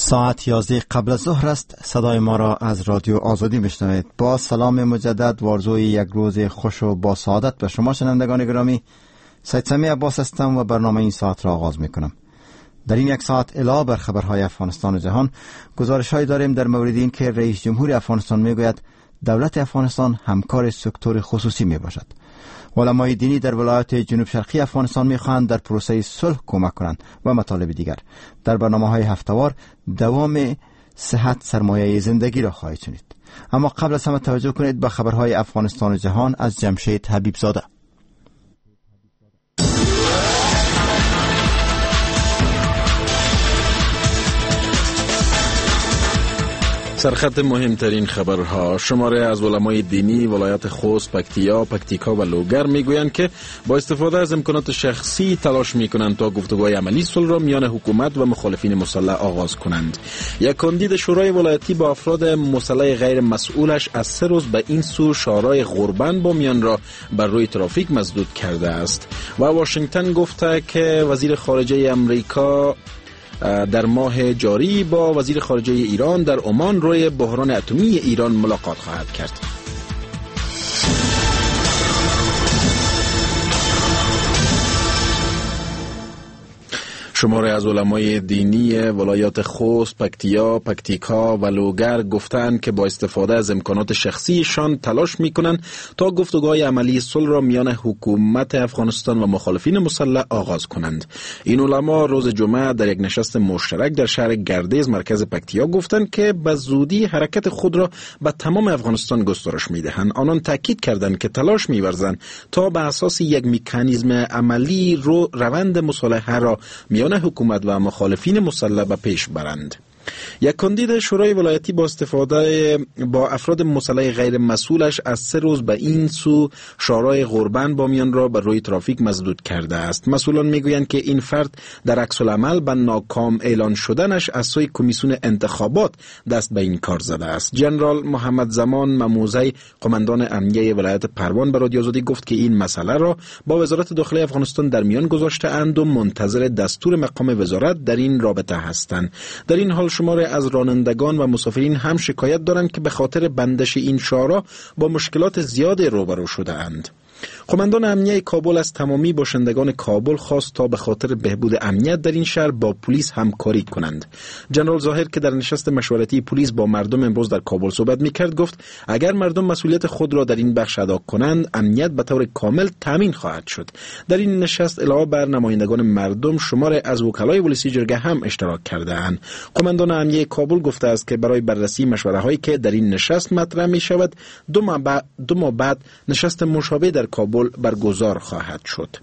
ساعت 11 قبل از ظهر است. صدای ما را از رادیو آزادی میشنوید. با سلام مجدد و آرزوی یک روز خوش و با سعادت به شما شنوندگان گرامی، سید سمیع عباس هستم و برنامه این ساعت را آغاز میکنم. در این یک ساعت علاوه بر خبرهای افغانستان و جهان، گزارش‌هایی داریم در مورد این که رئیس جمهور افغانستان میگوید دولت افغانستان همکار سکتور خصوصی می باشد. علمای دینی در ولایت جنوب شرقی افغانستان میخواهند در پروسه صلح کمک کنند و مطالب دیگر. در برنامه‌های هفته‌وار دوام صحت سرمایه زندگی را خواهید شنید. اما قبل از همه توجه کنید به خبرهای افغانستان و جهان از جمشید حبیب زاده. سرخط مهمترین خبرها: شماره از علمای دینی ولایت خوست، پکتیا، پکتیکا و لوگر میگویند که با استفاده از امکانات شخصی تلاش میکنند تا گفتگوهای عملی صلح را میان حکومت و مخالفین مسلح آغاز کنند. یک کاندید شورای ولایتی با افراد مسلح غیر مسئولش از 3 روز به این سو شارای غربند با میان را بر روی ترافیک مسدود کرده است. و واشنگتن گفته که وزیر خارجه امریکا در ماه جاری با وزیر خارجه ایران در عمان روی بحران اتمی ایران ملاقات خواهد کرد. شماره از علمای دینی ولایات خوست، پکتیا، پکتیکا و لوگر گفتند که با استفاده از امکانات شخصیشان تلاش میکنند تا گفتگوهای عملی صلح را میان حکومت افغانستان و مخالفین مسلح آغاز کنند. این علما روز جمعه در یک نشست مشترک در شهر گردیز مرکز پکتیا گفتند که به زودی حرکت خود را به تمام افغانستان گسترش میدهند. آنان تاکید کردند که تلاش میورزند تا به اساس یک مکانیزم عملی رو روند مصالحه را میان حکومت و مخالفین مسلح به پیش برند. یک کاندید شورای ولایتی با استفاده با افراد مسلح غیر مسئولش از 3 روز به این سو شارای غربند بامیان را بر روی ترافیک مسدود کرده است. مسئولان میگویند که این فرد در عکس العمل به ناکام اعلان شدنش از سوی کمیسیون انتخابات دست به این کار زده است. جنرال محمد زمان مموزی، قماندان امنیه ولایت پروان، به رادیو آزادی گفت که این مسئله را با وزارت داخله افغانستان در میان گذاشته اند و منتظر دستور مقام وزارت در این رابطه هستند. در این حال شمار از رانندگان و مسافرین هم شکایت دارند که به خاطر بندش این شارع با مشکلات زیاد روبرو شده اند. قماندان امنیه کابل از تمامی باشندگان کابل خواست تا به خاطر بهبود امنیت در این شهر با پلیس همکاری کنند. جنرال ظاهر که در نشست مشورتی پلیس با مردم امروز در کابل صحبت میکرد گفت اگر مردم مسئولیت خود را در این بخش ادا کنند، امنیت به طور کامل تامین خواهد شد. در این نشست علاوه بر نمایندگان مردم، شمار از وکلای ولسی جرگه هم اشتراک کرده‌اند. قماندان امنیه کابل گفته است که برای بررسی مشوره هایی که در این نشست مطرح می شود، دو ماه بعد نشست مشابه در کابل برگزار خواهد شد.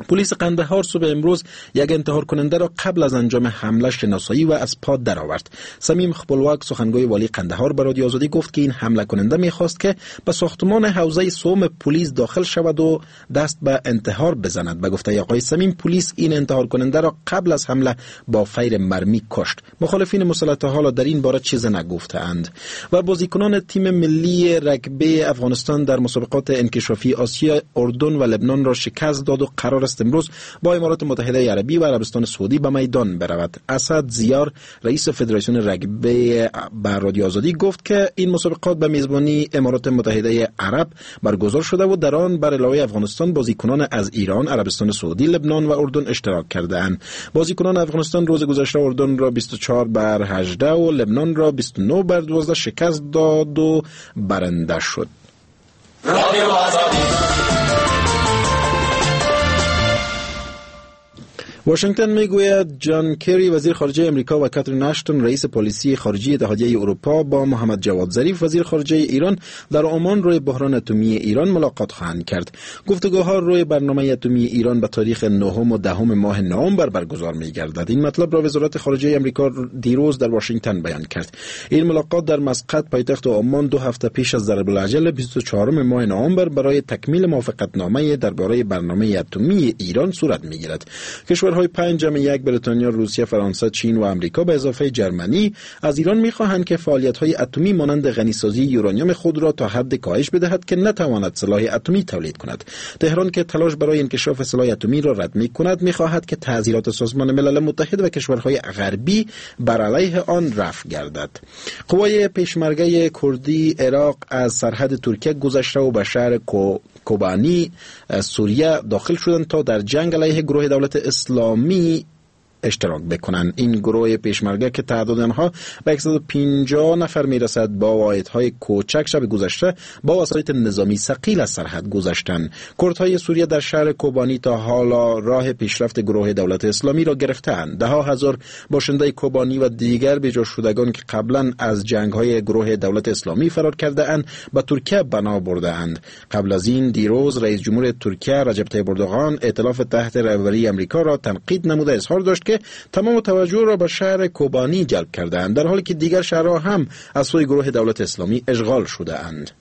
پلیس قندهار صبح امروز یک انتحار کننده را قبل از انجام حمله شناسایی و از پا درآورد. صمیم خپلواک، سخنگوی والی قندهار، به رادیو آزادی گفت که این حمله کننده میخواست که به ساختمان حوزه سوم پلیس داخل شود و دست به انتحار بزند. به گفته آقای صمیم، پلیس این انتحار کننده را قبل از حمله با فیر مرمی کشت. مخالفین مسلح حالا در این باره چیز نگفتند. و بازیکنان تیم ملی رگبی افغانستان در مسابقات انکشافی آسیا اردن و لبنان را شکست داد و قرار است امروز با امارات متحده عربی و عربستان سعودی به میدان برود. اسد زیار، رئیس فدراسیون رگبی، به رادیو آزادی گفت که این مسابقات به میزبانی امارات متحده عرب برگزار شده و در آن بر علاوه افغانستان بازیکنان از ایران، عربستان سعودی، لبنان و اردن اشتراک کرده اند. بازیکنان افغانستان روز گذشته اردن را 24-18 و لبنان را 29-12 شکست داد و برنده شد. رادیو آزادی. واشنگتن میگوید جان کری، وزیر خارجه امریکا، و کاترین اشتون، رئیس پالیسی خارجی اتحادیه اروپا، با محمد جواد ظریف، وزیر خارجه ایران، در عمان روی بحران اتمی ایران ملاقات خواهند کرد. گفتگوها روی برنامه اتمی ایران به تاریخ 9 و 10 ماه نوامبر برگزار می‌گردد. این مطلب را وزارت خارجه امریکا دیروز در واشنگتن بیان کرد. این ملاقات در مسقط، پایتخت عمان، 2 هفته پیش از ضرب الاجل 24 ماه نوامبر برای تکمیل موافقتنامه درباره برنامه اتمی ایران صورت می‌گیرد. کشورهای 5+1 بریتانیا، روسیه، فرانسه، چین و امریکا به اضافه جرمنی از ایران می‌خواهند که فعالیت‌های اتمی مانند غنی‌سازی یورانیوم خود را تا حد کاهش بدهد که نتواند سلاح اتمی تولید کند. تهران که تلاش برای انکشاف سلاح اتمی را رد می‌کند، می‌خواهد که تعزیرات سازمان ملل متحد و کشورهای غربی بر علیه آن رفع گردد. قوای پیشمرگه کردی عراق از سرحد ترکیه گذشته و به شهر کوبانی سوریه داخل شدند تا در جنگ علیه گروه دولت اسلامی اشتراک بکنند. این گروه پیشمرگه که تعداد آنها به 150 نفر میرسد با واحدهای کوچک شب گذشته با وسایط نظامی ثقیل از سرحد گذشتند. کردهای سوریه در شهر کوبانی تا حالا راه پیشرفت گروه دولت اسلامی را گرفتند. ده ها هزار باشنده کوبانی و دیگر بیجا شدگان که قبلا از جنگ‌های گروه دولت اسلامی فرار کرده اند به ترکیه بنا برده اند. قبل از این دیروز رئیس جمهور ترکیه رجب طیب اردوغان ائتلاف تحت رهبری امریکا را تنقید نموده اظهار داشت که تمام توجه را به شهر کوبانی جلب کردند، در حالی که دیگر شهرها هم از سوی گروه دولت اسلامی اشغال شده اند.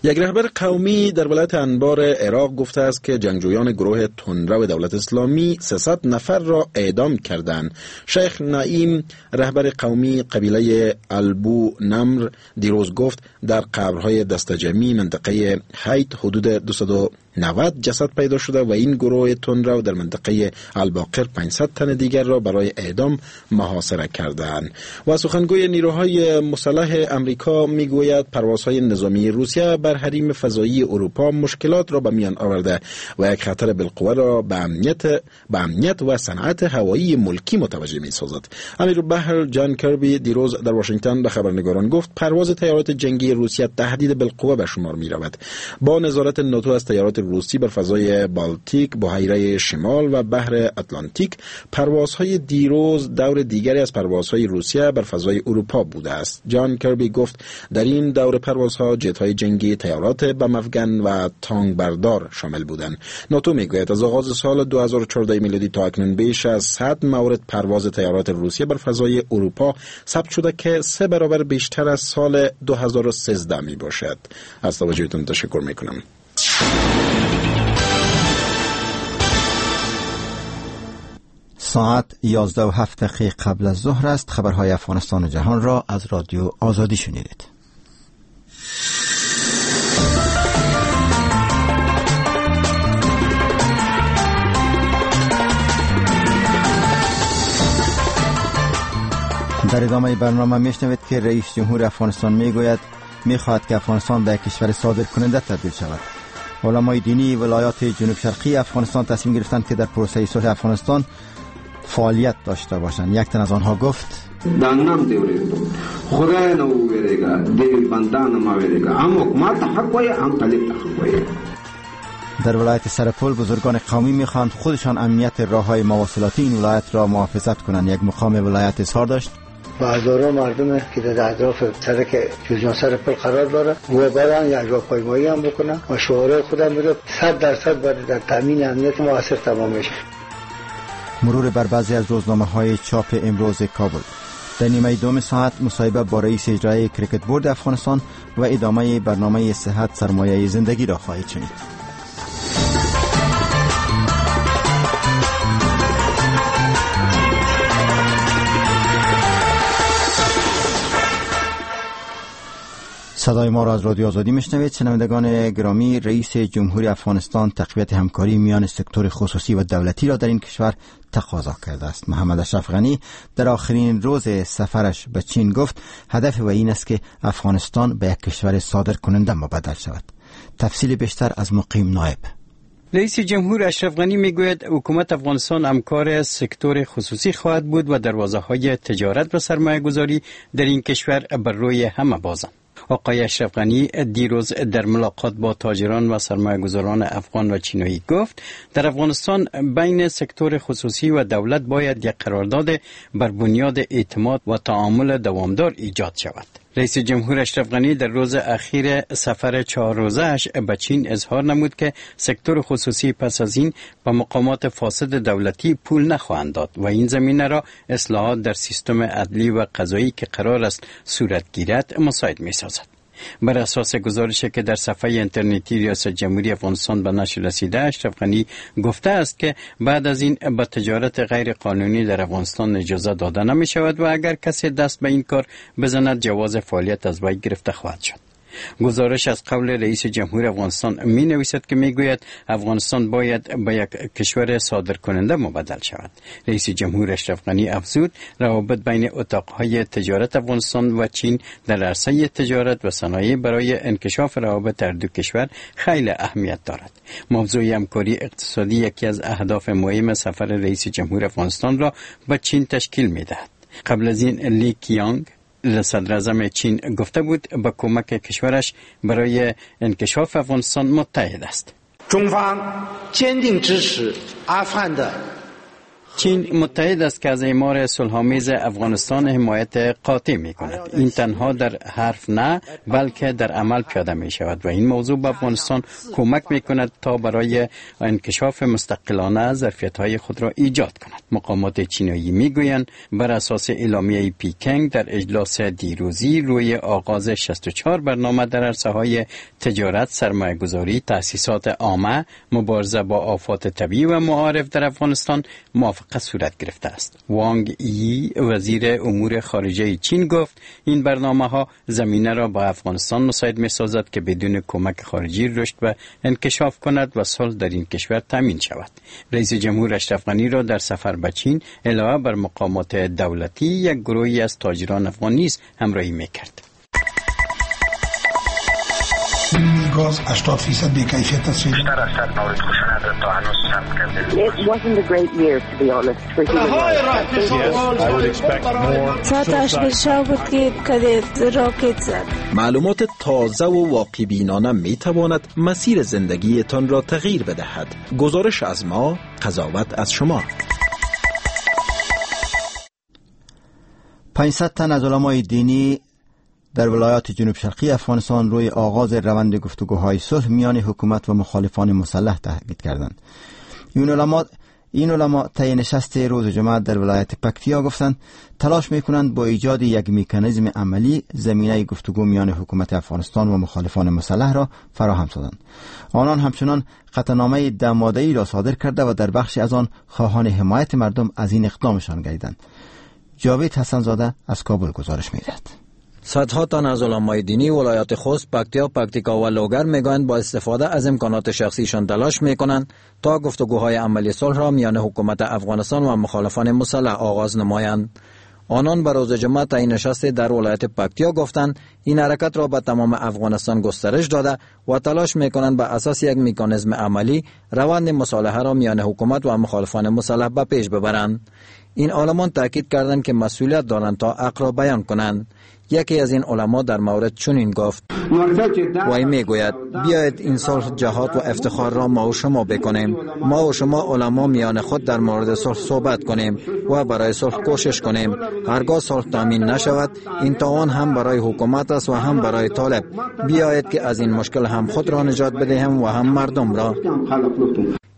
یک رهبر قومی در ولایت انبار عراق گفته است که جنگجویان گروه تندرو دولت اسلامی 300 نفر را اعدام کردند. شیخ نعیم رهبر قومی قبیله البو نمر دیروز گفت در قبرهای دستجمعی منطقه حیط حدود 290 جسد پیدا شده و این گروه تندرو در منطقه الباقر 500 تن دیگر را برای اعدام محاصره کردند. و سخنگوی نیروهای مسلح امریکا میگوید پروازهای نظامی روسیه بر حریم فضایی اروپا مشکلات را به میان آورده و یک خطر بالقوه را به امنیت و صنعت هوایی ملکی متوجه می سازد. امیرالبحر جان کربی دیروز در واشنگتن به خبرنگاران گفت پرواز طیارات جنگی روسیه تهدید بالقوه به شمار می رود. با نظارت ناتو از طیارات روسی بر فضای بالتیک، بحیره شمال و بحر اتلانتیک، پروازهای دیروز دور دیگری از پروازهای روسیه بر فضای اروپا بوده است. جان کربی گفت در این دور پروازها جت‌های جنگی، طیارات بم‌افگن و تانک بردار شامل بودند. ناتو میگوید از آغاز سال 2014 میلادی تا اکنون بیش از 100 مورد پرواز طیارات روسیه بر فضای اروپا ثبت شده که 3 برابر بیشتر از سال 2013 می باشد. از توجهتون تشکر میکنم. ساعت 11:07 قبل از ظهر است. خبرهای افغانستان و جهان را از رادیو آزادی شنیدید. در ادامه برنامه میشنوید که رئیس جمهور افغانستان میگوید میخواهد که افغانستان به یک کشور صادر کننده تبدیل شود. علمای دینی ولایات جنوب شرقی افغانستان تصمیم گرفتند که در پروسه صلح افغانستان فعالیت داشته باشند. یک تن از آنها گفت: دانم دی خدای نو ویریګا دی بندان ما ویریګا هم حکومت حق وای هم طالب حق وای. در ولایت سرپل بزرگان قومی میخواهند خودشان امنیت راه‌های مواصلاتی این ولایت را محافظت کنند. یک مقام ولایت اظهار داشت: با هزاران مردم که در اطراف سرک جوزجان سرپل قرار داره و بران یک راهپیمایی هم بکنن و شعارهای خودم بوده 100% باید در تامین امنیت موثر تمام بشه. مرور بر بعضی از روزنامه‌های چاپ امروز کابل. در نیمه دوم ساعت مصاحبه با رئیس اجرایی کرکت بورد افغانستان و ادامه برنامه صحت سرمایه زندگی را خواهید شنید. صدای ما را از رادیو آزادی میشنوید. شنوندگان گرامی، رئیس جمهوری افغانستان تقویت همکاری میان سکتور خصوصی و دولتی را در این کشور تقاضا کرده است. محمد اشرف غنی در آخرین روز سفرش به چین گفت هدف و این است که افغانستان به یک کشور صادر کننده مبدل شود. تفصیل بیشتر از مقیم نایب. رئیس جمهور اشرف غنی میگوید حکومت افغانستان همکار سکتور خصوصی خواهد بود و دروازه های تجارت و سرمایه گذاری در این کشور بر روی همه بازند. آقای اشرف غنی دیروز در ملاقات با تاجران و سرمایه‌گذاران افغان و چینایی گفت در افغانستان بین سکتور خصوصی و دولت باید یک قرارداد بر بنیاد اعتماد و تعامل دوامدار ایجاد شود. رئیس جمهور اشرف غنی در روز اخیر سفر 4 روزه‌اش به چین اظهار نمود که سکتور خصوصی پس از این به مقامات فاسد دولتی پول نخواهند داد و این زمینه را اصلاحات در سیستم عدلی و قضایی که قرار است صورت گیرد مساعد می‌سازد. بر اساس گزارشی که در صفحه اینترنتی ریاست جمهوری افغانستان به نشر رسیده، اشرف غنی گفته است که بعد از این به تجارت غیر قانونی در افغانستان اجازه داده نمی شود و اگر کسی دست به این کار بزند جواز فعالیت از وی گرفته خواهد شد. گزارش از قول رئیس جمهور افغانستان می نویسد که می گوید افغانستان باید به یک کشور صادر کننده مبدل شود. رئیس جمهور اشرف غنی افزود روابط بین اتاقهای تجارت افغانستان و چین در عرصه تجارت و صنایع برای انکشاف روابط هر دو کشور خیلی اهمیت دارد. موضوع همکاری اقتصادی یکی از اهداف مهم سفر رئیس جمهور افغانستان را به چین تشکیل می دهد. قبل از این لی کیانگ صدراعظم چین گفته بود با کمک کشورش برای انکشاف افغانستان متحد است. چین متحد است که از اعمار صلح‌آمیز افغانستان حمایت قاطع می کند. این تنها در حرف نه بلکه در عمل پیاده می شود و این موضوع به افغانستان کمک می کند تا برای انکشاف مستقلانه ظرفیت‌های خود را ایجاد کند. مقامات چینایی می گویند بر اساس اعلامیه پیکنگ در اجلاس دیروزی روی آغاز 64 برنامه در عرصه‌های تجارت، سرمایه‌گذاری، تأسیسات عامه، مبارزه با آفات طبیعی و معارف در افغانستان موافقه صورت گرفته است. وانگ یی وزیر امور خارجه چین گفت این برنامه ها زمینه را با افغانستان مساعد می سازد که بدون کمک خارجی رشد و انکشاف کند و صلح در این کشور تامین شود. رئیس جمهور اشرف غنی را در سفر به چین علاوه بر مقامات دولتی یک گروهی از تاجران افغان نیز همراهی می کرد. گاز 80% بی‌کیفیت است. بیشتر از 100 مورد خشونت تا هنوز ثبت کرده. It wasn't a great year to be honest for human rights. ساعت 8 شب بود که راکت زد. معلومات تازه و واقع بینانه می تواند مسیر زندگیتان را تغییر بدهد. گزارش از ما، قضاوت از شما. 500 تن از علمای دینی در ولایات جنوب شرقی افغانستان روی آغاز روند گفتگوهای صلح میان حکومت و مخالفان مسلح تاکید کردند. این علما طی نشست روز جمعه در ولایت پکتیا گفتند تلاش میکنند با ایجاد یک مکانیزم عملی زمینه گفتگو میان حکومت افغانستان و مخالفان مسلح را فراهم سازند. آنان همچنان قطعنامه 10 ماده‌ای را صادر کرده و در بخشی از آن خواهان حمایت مردم از این اقدامشان گردیدند. جاوید حسن زاده از کابل گزارش می‌دهد. صدها تن از علمای دینی ولایات خوست، پکتیا، پکتیکا و لوگر میگویند با استفاده از امکانات شخصیشان تلاش میکنند تا گفتگوهای عملی صلح را میان حکومت افغانستان و مخالفان مسلح آغاز نمایند. آنان به روز جمعه طی نشست در ولایت پکتیا گفتند این حرکت را به تمام افغانستان گسترش داده و تلاش میکنند به اساس یک مکانیزم عملی روند مصالحه را میان حکومت و مخالفان مسلح به پیش ببرند. این عالمان تاکید کردند که مسئولیت دارند تا حق را بیان کنند. یکی از این علما در مورد چنین گفت: وی میگوید بیایید این صلح، جهاد و افتخار را ما و شما بکنیم. ما و شما علما میان خود در مورد صلح صحبت کنیم و برای صلح کوشش کنیم. هرگاه صلح تامین نشود این تاوان هم برای حکومت است و هم برای طالب. بیایید که از این مشکل هم خود را نجات بدهیم و هم مردم را.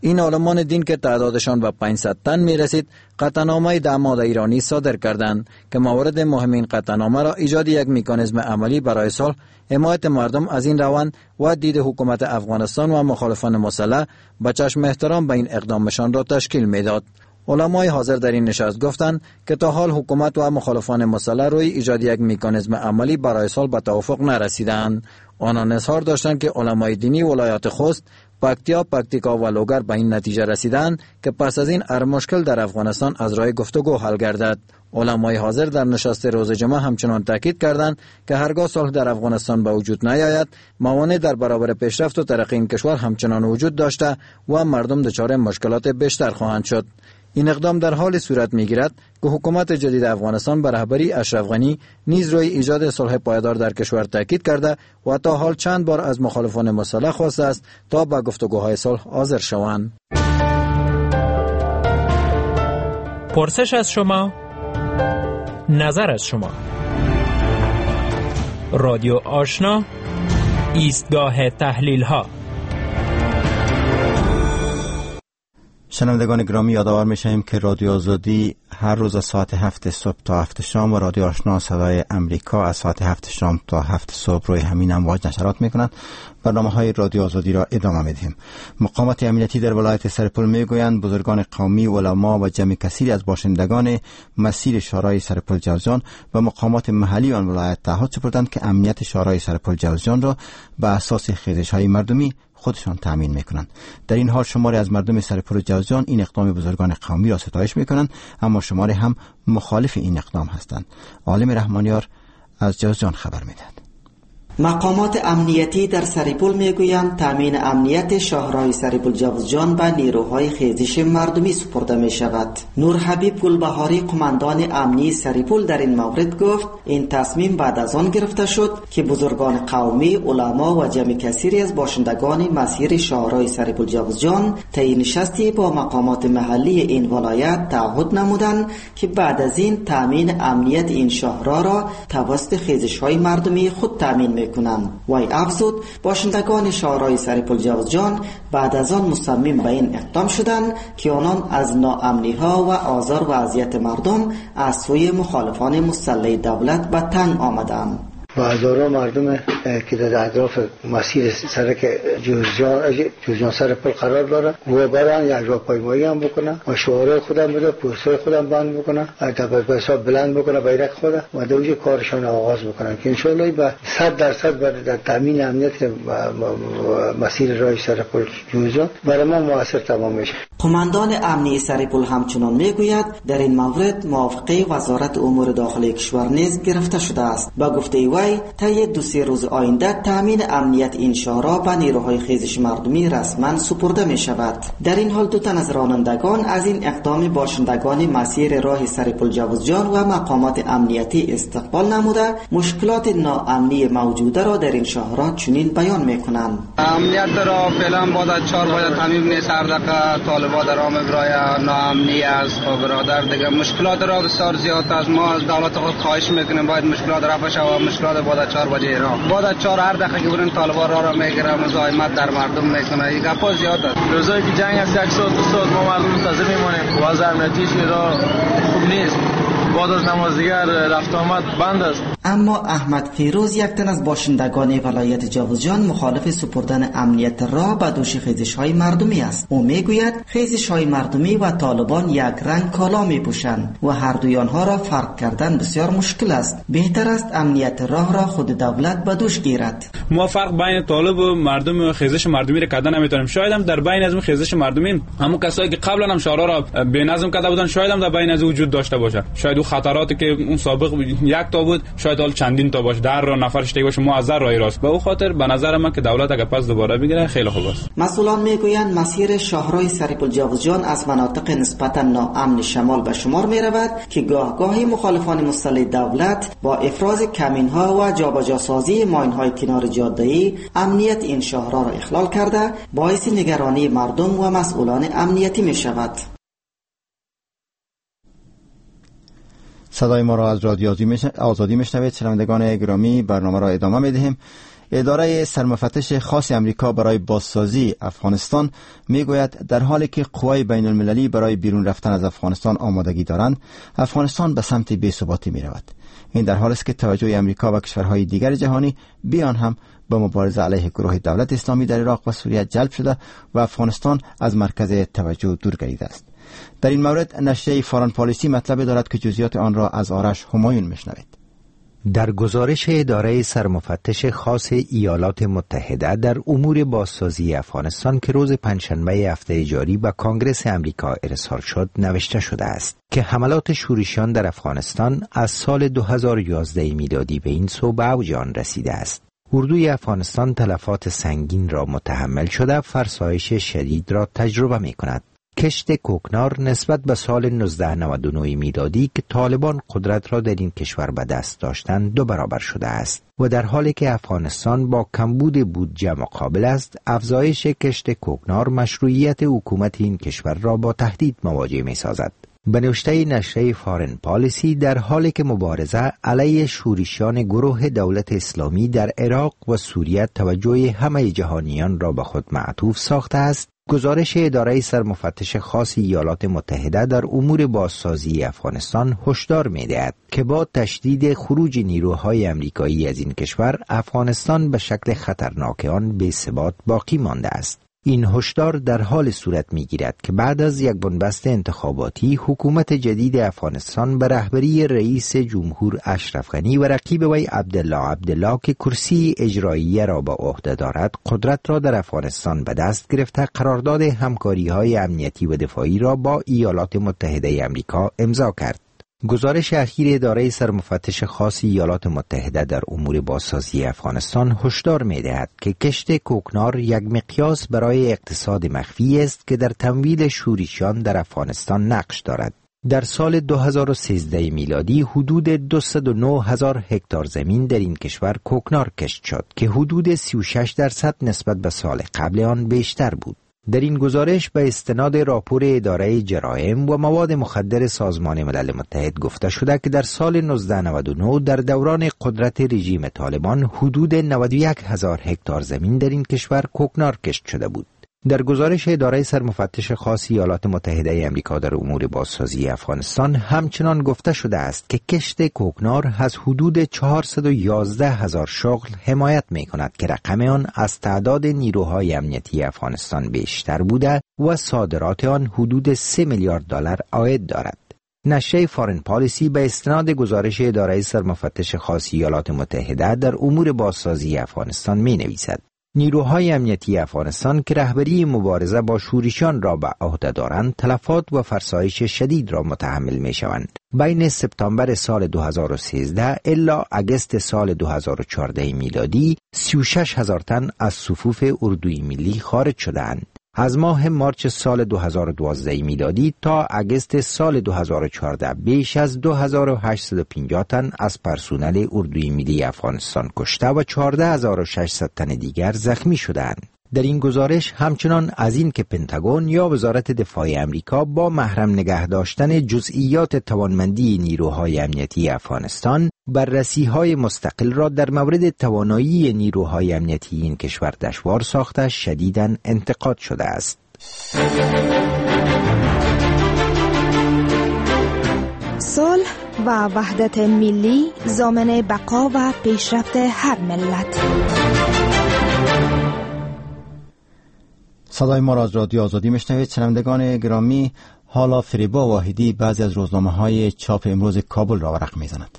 این عالمان دین که تعدادشان به 500 تن می رسید قطعنامه 10 ماده ایرانی صادر کردند که مورد مهم این قطعنامه را ایجاد یک مکانیزم عملی برای صلح، حمایت مردم از این روند و دید حکومت افغانستان و مخالفان مسلح به چشم احترام به این اقدامشان را تشکیل میداد. علمای حاضر در این نشست گفتند که تا حال حکومت و مخالفان مسلح روی ایجاد یک مکانیزم عملی برای صلح به توافق نرسیدند. آنان اظهار داشتند که علمای دینی ولایات خوست، پکتیا، پکتیکا و لوگر به این نتیجه رسیدند که پس از این هر مشکل در افغانستان از راه گفتگو حل گردد. علمای حاضر در نشست روز جمعه همچنان تاکید کردند که هرگاه صلح در افغانستان به وجود نیاید، موانع در برابر پیشرفت و ترقی این کشور همچنان وجود داشته و مردم دچار مشکلات بیشتر خواهند شد. این اقدام در حال صورت می‌گیرد که حکومت جدید افغانستان به رهبری اشرف غنی نیز روی ایجاد صلح پایدار در کشور تاکید کرده و تا حال چند بار از مخالفان مسلح خواسته است تا به گفتگوهای صلح حاضر شوند. پرسش از شما، نظر از شما. رادیو آشنا، ایستگاه تحلیل ها. شنوندگان گرامی، یادآور می‌شویم که رادیو آزادی هر روز از ساعت 7 صبح تا 7 شام و رادیو آشنا صدای امریکا از ساعت 7 شام تا 7 صبح روی همین امواج نشرات میکنند. برنامه های رادیو آزادی را ادامه میدهیم. مقامات امنیتی در ولایت سرپل میگویند بزرگان قومی، علما و جمع کثیری از باشندگان مسیر شورای سرپل جوزجان و مقامات محلی آن ولایت تعهد سپردند که امنیت شورای سرپل جوزجان را به اساس خیزش های مردمی خودشان تامین میکنند. در این حال شماری از مردم سرپل جوزجان این اقدام بزرگان قومی را ستایش میکنند، اما شماری هم مخالف این اقدام هستند. عالم رحمانیار از جوزجان خبر میدهد. مقامات امنیتی در سرپل میگویند تامین امنیت شاهراه سرپل جوزجان به نیروهای خیزش مردمی سپرده می شود. نور حبیب گلبهاری قماندان امنی سرپل در این مورد گفت این تصمیم بعد از آن گرفته شد که بزرگان قومی، علما و جمع کثیری از باشندگان مسیر شاهراه سرپل جوزجان طی نشستی با مقامات محلی این ولایت تعهد نمودند که بعد از این تامین امنیت این شاهراه را توسط خیزش‌های مردمی خود تامین می‌کنند. وی افزود باشندگان شهرهای سرپل جوزجان بعد از آن مصمم به این اقدام شدند که آنان از ناامنی ها و آزار و اذیت مردم از سوی مخالفان مسلح دولت به تنگ آمدند. و هزاران مردم که در اطراف مسیر سرک جوزجان سرپل قرار داره و برن یک راهپیمایی هم بکنن و شعارهای خودم بده، پوستر خودم بند بکنن، به حساب بلند بکنن بیرق خود و دوجه کارشان آغاز بکنن که انشالله به 100% در تامین امنیت مسیر راه سرپل جوزجان برای ما موثر تمام میشه. قماندان امنی سرپل همچنان میگوید در این مورد موافقه وزارت امور داخلی کشور نیز گرفته شده است. با گفته وی طی 2-3 روز آینده تامین امنیت این شهرها به نیروهای خیزش مردمی رسما سپرده می شود. در این حال دو تن از رانندگان از این اقدام باشندگان مسیر راه سرپل جوزجان و مقامات امنیتی استقبال نموده مشکلات ناامنی موجوده را در این شهرها چنین بیان می کنند. امنیت را فعلا بعد 4 بجه تامین نیست، هر دقیقه طالبا در راه برای ناامنی است. خب برادر دیگه مشکلات را بسیار زیاد است. ما از دولت خود خواهش میکنیم باید مشکلات رفع شود. مشکلات بعد 4 بجه را بعد 4 هر دقیقه که برن طالبا را میگیرن، مزاحمت در مردم میکنه. این گپا زیاد است. روزایی که جنگ است 1 ساعت 2 ساعت ما مردم منتظر میمونیم. وضع امنیتیش را خوب نیست. بعد از نماز دیگر رفت آمد بند است. اما احمد فیروز یک تن از باشندگان ولایت جوزجان مخالف سپردن امنیت را به دوش خیزش‌های مردمی است. او میگوید خیزش‌های مردمی و طالبان یک رنگ کالا میپوشند و هر دوی آنها را فرق کردن بسیار مشکل است. بهتر است امنیت راه را خود دولت به دوش گیرد. ما فرق بین طالب و مردم و خیزش مردمی را کردن نمیتونیم. شاید هم در بین از اون خیزش مردمی همون کسایی که قبلا هم شهرها را به نظم کرده بودن شاید هم در بین از وجود داشته باشه. شاید او خطراتی که اون سابق یک تا بود شاید حال چندین تا باشه، در را نفرش دیگه باشه، ما از در راه راست. به او خاطر به نظر من که دولت اگر پس دوباره بگیره خیلی خوب است. مسئولان میگویند مسیر شاهراه سرپل جوزجان از مناطق نسبتا ناامن شمال به شمار میرود که گاه گاهی مخالفان مسلح دولت با افراز کمین‌ها و جابجاسازی ماین‌های کنار جاده‌ای امنیت این شاهراه را اخلال کرده باعث نگرانی مردم و مسئولان امنیتی میشود. صدای ما را از رادیو آزادی میشنوید. شنوندگان گرامی، برنامه را ادامه میدهیم. اداره سرمفتش خاص امریکا برای بازسازی افغانستان میگوید در حالی که قوای بین المللی برای بیرون رفتن از افغانستان آمادگی دارند، افغانستان به سمت بی‌ثباتی میرود. این در حالی است که توجه امریکا و کشورهای دیگر جهانی بیان هم به مبارزه علیه گروه دولت اسلامی در عراق و سوریه جلب شده و افغانستان از مرکز توجه دور گردیده است. در این مورد نشریه فارن پالیسی مطلب دارد که جزئیات آن را از آرش همایون میشنوید. در گزارش اداره سرمفتش خاص ایالات متحده در امور بازسازی افغانستان که روز پنجشنبه هفته جاری به کانگرس امریکا ارسال شد نوشته شده است که حملات شورشیان در افغانستان از سال 2011 میلادی به این سو به اوج آن رسیده است. اردوی افغانستان تلفات سنگین را متحمل شده، فرسایش شدید را تجربه می کند. کشت کوکنار نسبت به سال 1999 میلادی که طالبان قدرت را در این کشور به دست داشتند 2 برابر شده است و در حالی که افغانستان با کمبود بودجه مقابل است، افزایش کشت کوکنار مشروعیت حکومت این کشور را با تهدید مواجه می سازد. به نوشته نشریه فارن پالیسی، در حالی که مبارزه علیه شورشیان گروه دولت اسلامی در عراق و سوریه توجه همه جهانیان را به خود معطوف ساخته است، گزارش اداره سرمفتش خاص ایالات متحده در امور بازسازی افغانستان هشدار می‌دهد که با تشدید خروج نیروهای امریکایی از این کشور، افغانستان به شکل خطرناک آن بی‌ثبات باقی مانده است. این هشدار در حال صورت می‌گیرد که بعد از یک بنبست انتخاباتی، حکومت جدید افغانستان به رهبری رئیس جمهور اشرف غنی و رقیب وی عبدالله عبدالله که کرسی اجرایی را به عهده دارد، قدرت را در افغانستان به دست گرفته، قرارداد همکاری‌های امنیتی و دفاعی را با ایالات متحده امریکا امضا کرد. گزارش اخیر اداره سرمفتش خاص ایالات متحده در امور بازسازی افغانستان هشدار می‌دهد که کشت کوکنار یک مقیاس برای اقتصاد مخفی است که در تمویل شورشیان در افغانستان نقش دارد. در سال 2013 میلادی حدود 209 هزار هکتار زمین در این کشور کوکنار کشت شد که حدود 36% نسبت به سال قبل آن بیشتر بود. در این گزارش به استناد راپور اداره جرایم و مواد مخدر سازمان ملل متحد گفته شده که در سال 1999 در دوران قدرت رژیم طالبان حدود 91 هزار هکتار زمین در این کشور کوکنار کشت شده بود. در گزارش اداره سرمفتش خاص ایالات متحده امریکا در امور بازسازی افغانستان همچنان گفته شده است که کشت کوکنار از حدود 411 هزار شغل حمایت می کند که رقم آن از تعداد نیروهای امنیتی افغانستان بیشتر بوده و صادرات آن حدود 3 میلیارد دلار عاید دارد. نشریه فارن پالیسی به استناد گزارش اداره سرمفتش خاص ایالات متحده در امور بازسازی افغانستان می نویسد: نیروهای امنیتی افغانستان که رهبری مبارزه با شورشیان را به عهده دارند، تلفات و فرسایش شدید را متحمل می شوند. بین سپتامبر سال 2013 الی اگست سال 2014 میلادی 36 هزار تن از صفوف اردوی ملی خارج شدند. از ماه مارچ سال 2012 میلادی تا اگست سال 2014 بیش از 2850 تن از پرسنل اردوی ملی افغانستان کشته و 14600 تن دیگر زخمی شدند. در این گزارش همچنان از این که پنتاگون یا وزارت دفاع امریکا با محرم نگه داشتن جزئیات توانمندی نیروهای امنیتی افغانستان، بررسی‌های مستقل را در مورد توانایی نیروهای امنیتی این کشور دشوار ساخته، شدیداً انتقاد شده است. صلح و وحدت ملی ضامن بقا و پیشرفت هر ملت. صدای ما را از رادیو آزادی میشنوید. شنوندگان گرامی، حالا فریبا واحدی بعضی از روزنامه‌های چاپ امروز کابل را ورق می‌زند.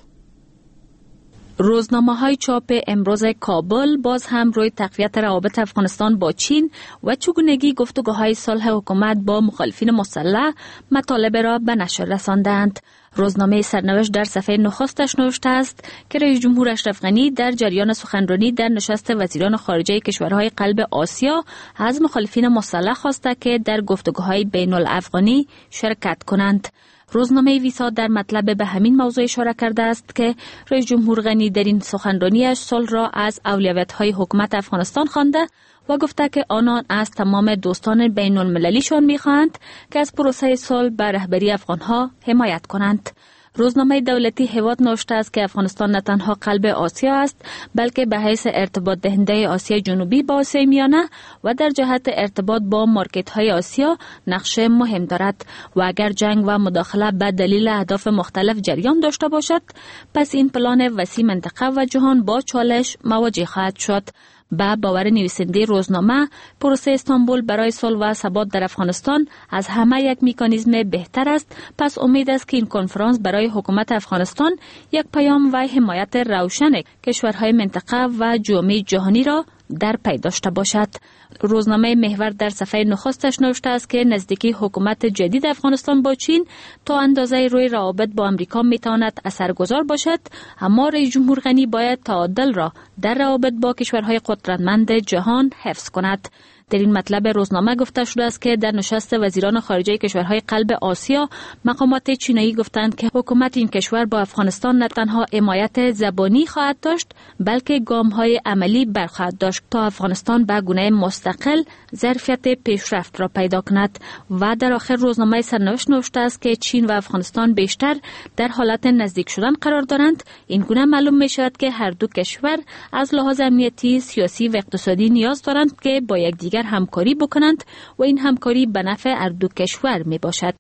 روزنامه‌های چاپ امروز کابل باز هم روی تقویت روابط افغانستان با چین و چگونگی گفتگوهای صلح حکومت با مخالفین مسلح مطالب را به نشر رساندند. روزنامه سرنوشت در صفحه نخستش نوشته است که رئیس جمهور اشرف غنی در جریان سخنرانی در نشست وزیران خارجه کشورهای قلب آسیا از مخالفین مسلح خواسته که در گفتگوهای بین الافغانی شرکت کنند. روزنامه ویسا در مطلب به همین موضوع اشاره کرده است که رئیس جمهور غنی در این سخنرانیش صلح را از اولویت‌های حکومت افغانستان خوانده و گفته که آنان از تمام دوستان بین المللیشان می‌خواهند که از پروسه صلح به رهبری افغانها حمایت کنند. روزنامه دولتی هیواد نوشته است که افغانستان نه تنها قلب آسیا است، بلکه به حیث ارتباط دهنده آسیا جنوبی با آسیای میانه و در جهت ارتباط با مارکت های آسیا نقش مهم دارد و اگر جنگ و مداخله به دلیل اهداف مختلف جریان داشته باشد، پس این پلان وسیع منطقه و جهان با چالش مواجه خواهد شد. به باور نویسنده روزنامه، پروسه استانبول برای صلح و ثبات در افغانستان از همه یک مکانیزم بهتر است، پس امید است که این کنفرانس برای حکومت افغانستان یک پیام و حمایت روشن کشورهای منطقه و جامعه جهانی را در پی داشته باشد. روزنامه محور در صفحه نخستش نوشته است که نزدیکی حکومت جدید افغانستان با چین تا اندازه روی روابط با امریکا میتواند اثرگذار باشد، اما رئیس جمهور غنی باید تعادل را در روابط با کشورهای قدرتمند جهان حفظ کند. در این مطلب روزنامه گفته شده است که در نشست وزیران خارجه کشورهای قلب آسیا، مقامات چینایی گفتند که حکومت این کشور با افغانستان نه تنها حمایت زبانی خواهد داشت، بلکه گام‌های عملی برخواهد داشت تا افغانستان به گونه مستقل ظرفیت پیشرفت را پیدا کند. و در آخر روزنامه سرنوشت نوشته است که چین و افغانستان بیشتر در حالت نزدیک شدن قرار دارند. این گونه معلوم می شود که هر دو کشور از لحاظ امنیتی، سیاسی و اقتصادی نیاز دارند که با یکدیگر یکدیگر همکاری بکنند و این همکاری به نفع هر دو کشور می باشد.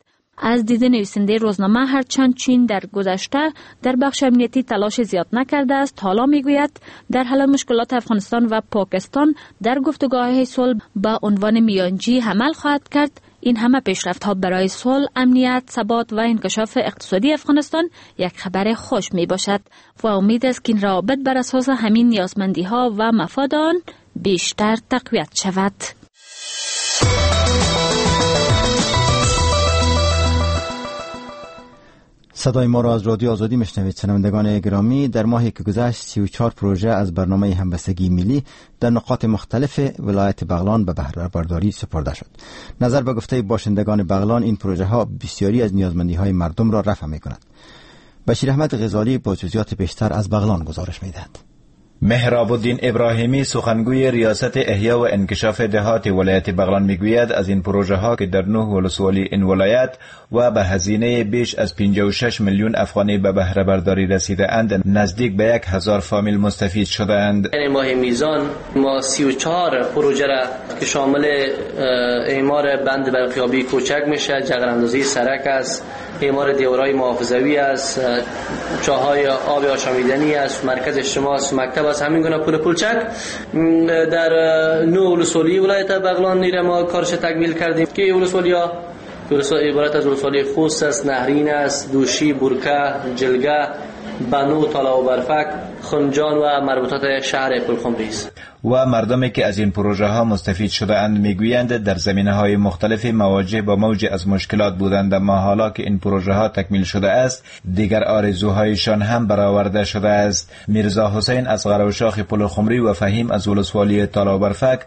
از دید نویسنده روزنامه، هرچند چین در گذشته در بخش امنیتی تلاش زیاد نکرده است، حالا میگوید در حل مشکلات افغانستان و پاکستان در گفتگوهای صلح به عنوان میانجی عمل خواهد کرد. این همه پیشرفت ها برای صلح، امنیت، ثبات و انکشاف اقتصادی افغانستان یک خبر خوش می باشد و امید است که این روابط بر اساس همین نیازمندی ها و مفاد آن بیشتر تقویت شود. صدای ما را از رادیو آزادی میشنوید. شنوندگان گرامی، در ماهی که گذشت 34 پروژه از برنامه همبستگی ملی در نقاط مختلف ولایت بغلان به بهره برداری سپرده شد. نظر به گفته باشندگان بغلان، این پروژه ها بسیاری از نیازمندی های مردم را رفع می کند. بشیر احمد غزالی با جزئیات بیشتر از بغلان گزارش میدهد. مهراب الدین ابراهیمی، سخنگوی ریاست احیا و انکشاف دهات ولایت بغلان، میگوید از این پروژه ها که در 9 ولسوالی این ولایت و به هزینه بیش از 56 میلیون افغانی به بهره برداری رسیده اند، نزدیک به 1000 فامیل مستفید شده اند. یعنی ماه میزان ما 34 پروژه را که شامل اعمار بند برقیابی کوچک میشه، جغراندازی سرک است، اعمار دیوارهای محافظوی است، چاهای آب آشامیدنی است، مرکز اجتماع است، مکتب است، همین گونه پول پولچک در 9 ولسوالی ولایت بغلان نیره ما کارش تکمیل کردیم که ولسوالیا عبارت از ولسوالی خوست است، نهرین است، دوشی، برکه، جلگه، بنو، تالا و برفک، خنجان و مربوطات شهر پلخمری است. و مردمی که از این پروژه ها مستفید شده اند میگویند در زمینه های مختلف مواجه با موج از مشکلات بودند، اما حالا که این پروژه ها تکمیل شده است دیگر آرزوهایشان هم برآورده شده است. میرزا حسین از قراوشاخ پلخمری و فهیم از ولسوالی تالا برفک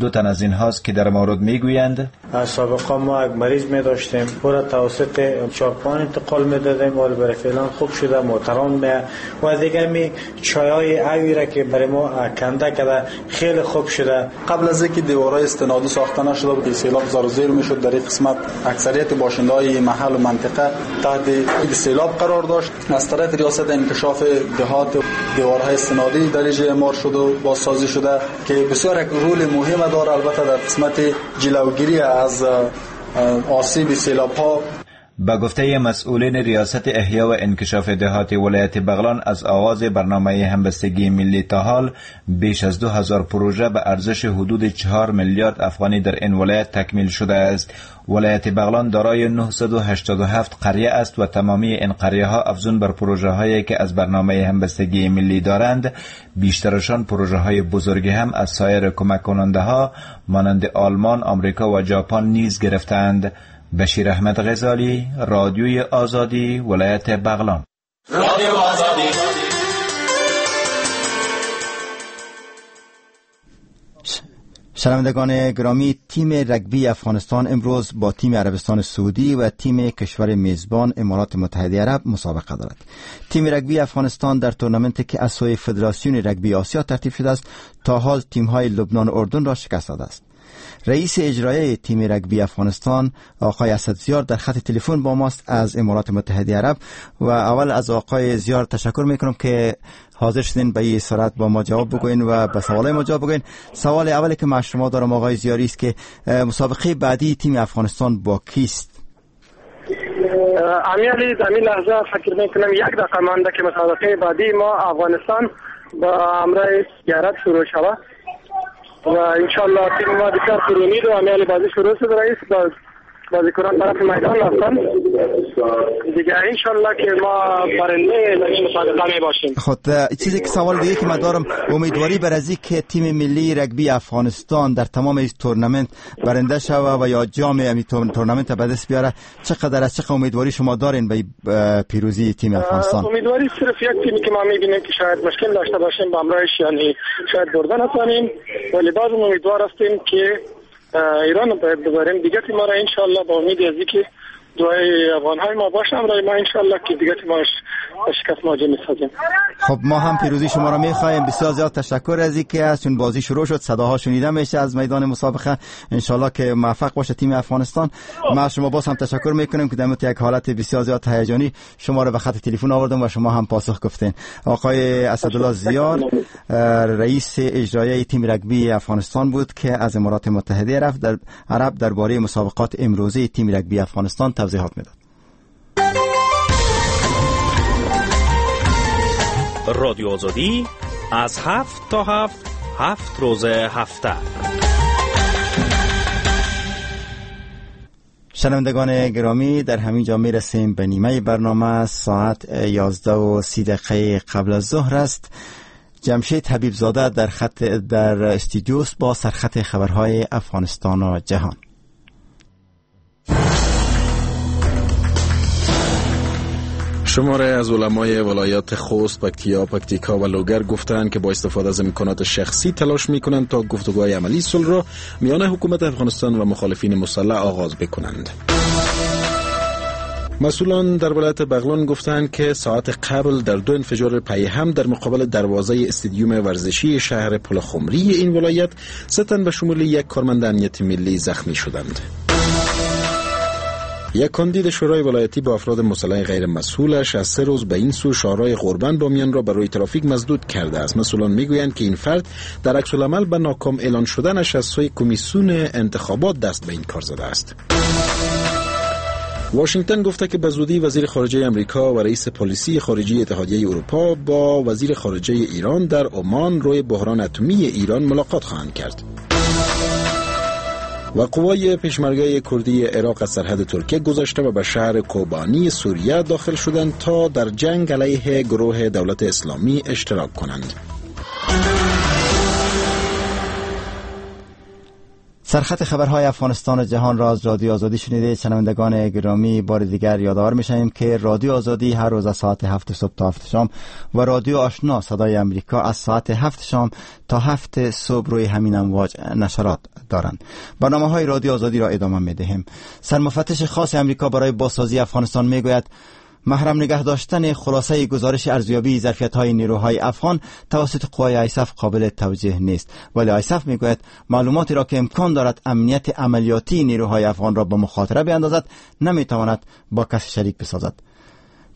دو تن از اینهاست که در مورد میگویند: سابقا ما یک مریض می داشتیم، پورا توسط چارپان انتقال میدادیم، ولی برای فعلا خوب شده، محترم و دیگر می چای اوی را که برای ما کنده کرده خیلی خوب شده. قبل از اینکه دیوارهای استنادی ساخته نشده بود، سیلاب زار و زیر میشد. در این قسمت اکثریت باشنده‌های محل و منطقه تحت سیلاب قرار داشت. از طرف ریاست انکشاف دهات دیوارهای استنادی در اینجا اعمار شد و بازسازی شده که بسیار یک رول مهم داره، البته در قسمت جلوگیری از آسیب سیلاب ها. به گفته مسئولین ریاست احیا و انکشاف دهات ولایت بغلان، از آغاز برنامه همبستگی ملی تا حال بیش از 2000 پروژه به ارزش حدود 4 میلیارد افغانی در این ولایت تکمیل شده است. ولایت بغلان دارای 987 قریه است و تمامی این قریه ها افزون بر پروژه هایی که از برنامه همبستگی ملی دارند، بیشترشان پروژه های بزرگی هم از سایر کمک کننده ها مانند آلمان، آمریکا و ژاپن نیز گرفتند. بشیر احمد غزالی، رادیوی آزادی، ولایت بغلان. رادیو آزادی. شنوندگان گرامی، تیم رگبی افغانستان امروز با تیم عربستان سعودی و تیم کشور میزبان امارات متحده عرب مسابقه دارد. تیم رگبی افغانستان در تورنمنتی که از سوی فدراسیون رگبی آسیا ترتیب شده است، تا حال تیم‌های لبنان و اردن را شکست داده است. رئیس اجرایی تیم رگبی افغانستان آقای اسد زیار در خط تلفن با ماست از امارات متحده عرب و اول از آقای زیار تشکر میکنم که حاضر شدین به این سرعت با ما جواب بگوین و به سوالای ما جواب بگوین. سوال اولی که من شما دارم آقای زیاری است که مسابقه بعدی تیم افغانستان با کیست؟ امیرعلی، در این لحظه فکر میکنم یک دقیقه مانده که مسابقه بعدی ما افغانستان با همراه عرب شروع شود و انشالله تیم ما بسیار پرامید و امیال بازی شروع شد. رئیس بازیکنان طرف میدان رفتن دیگه، انشالله که ما برنده این مسابقه می باشیم. خب چیزی که سوال دیگه که من دارم، امیدواری بر از که تیم ملی رگبی افغانستان در تمام این تورنمنت برنده شوه و یا جام این تورنمنت به دست بیاره چقدر از چقدر امیدواری شما دارین به پیروزی تیم افغانستان؟ امیدواری صرف یک تیمی که ما می‌بینیم که شاید مشکل داشته باشیم با همراهش، یعنی شاید برده نتوانیم، ولی بازم امیدوار هستیم که ایران رو باید ببریم دیگه. تیم ما را انشالله با امید از اینکه دعای افغان های ما باشه همراه ما، انشالله که دیگه ما شکست مواجه میسازیم. خب ما هم پیروزی شما را میخواهیم. بسیار زیاد تشکر از اینکه از چون بازی شروع شد صداها شنیده میشه از میدان مسابقه. انشالله که موفق باشه تیم افغانستان. ما شما باز هم تشکر میکنیم که در یک حالت بسیار زیاد هیجانی شما را به خط تلفن آوردم و شما هم پاسخ گفتین. آقای اسدالله زیار رئیس اجرایی تیم رگبی افغانستان بود که از امارات متحده رفت در عرب درباره مسابقات امروزی تیم رگبی افغانستان توضیحات میداد. رادیو آزادی از 7 تا 7، 7 روز هفته. شنوندگان گرامی، در همین جا میرسیم به نیمه برنامه. ساعت 11:30 قبل از ظهر است. جمشید حبیب زاده در خط در استودیوست با سرخط خبرهای افغانستان و جهان. شماره از علمای ولایات خوست، پکتیا، پکتیکا و لوگر گفتند که با استفاده از امکانات شخصی تلاش میکنند تا گفتگوهای عملی صلح را میان حکومت افغانستان و مخالفین مسلح آغاز بکنند. مسئولان در ولایت بغلان گفتند که ساعت قبل در 2 انفجار پی هم در مقابل دروازه استادیوم ورزشی شهر پلخمری این ولایت 3 تن به شمول یک کارمند امنیت ملی زخمی شدند. یک کاندید شورای ولایتی با افراد مسلح غیر مسئولش از 3 روز به این سو شاهراه غربند بامیان را برای ترافیک مسدود کرده است. مسئولان میگویند که این فرد در عکس العمل به ناکام اعلان شدنش از سوی کمیسیون انتخابات دست به این کار زده است. واشنگتن گفته که به زودی وزیر خارجه امریکا و رئیس پالیسی خارجی اتحادیه اروپا با وزیر خارجه ایران در عمان روی بحران اتمی ایران ملاقات خواهند کرد. و قوای پیشمرگه کردی عراق از سرحد ترکیه گذشته و به شهر کوبانی سوریه داخل شدند تا در جنگ علیه گروه دولت اسلامی اشتراک کنند. سرخط خبرهای افغانستان و جهان را از رادیو آزادی شنیده. شنوندگان گرامی، بار دیگر یادآور می‌شویم که رادیو آزادی هر روز از ساعت 7 صبح تا 7 شام و رادیو آشنا صدای امریکا از ساعت 7 شام تا 7 صبح روی همین امواج نشرات دارند. برنامه‌های رادیو آزادی را ادامه می‌دهیم. سرمفتش خاص امریکا برای بازسازی افغانستان می‌گوید محرم نگه داشتن خلاصه گزارش ارزیابی ظرفیت‌های نیروهای افغان توسط قوای آیسف قابل توجیه نیست، ولی آیسف میگوید معلوماتی را که امکان دارد امنیت عملیاتی نیروهای افغان را به مخاطره بیاندازد نمیتواند با کسی شریک بسازد.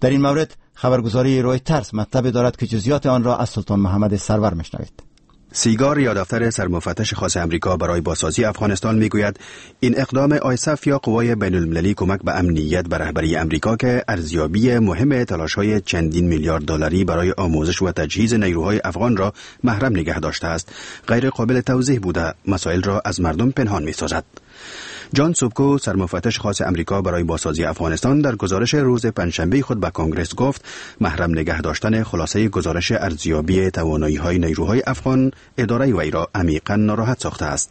در این مورد خبرگزاری رویترز مطلبی دارد که جزئیات آن را از سلطان محمد سرور میشنوید. سیگار یا دفتر سرمفتش خاص امریکا برای بازسازی افغانستان میگوید این اقدام آیسف یا قوای بین المللی کمک به امنیت به رهبری امریکا که ارزیابی مهم تلاش‌های چندین میلیارد دلاری برای آموزش و تجهیز نیروهای افغان را محرم نگه داشته است، غیر قابل توضیح بوده، مسائل را از مردم پنهان می‌سازد. جان سوبکو سرمفتش خاص امریکا برای بازسازی افغانستان در گزارش روز پنجشنبه خود به کنگرس گفت محرم نگه داشتن خلاصه گزارش ارزیابی توانایی‌های نیروهای افغان اداره وی را عمیقاً ناراحت ساخته است.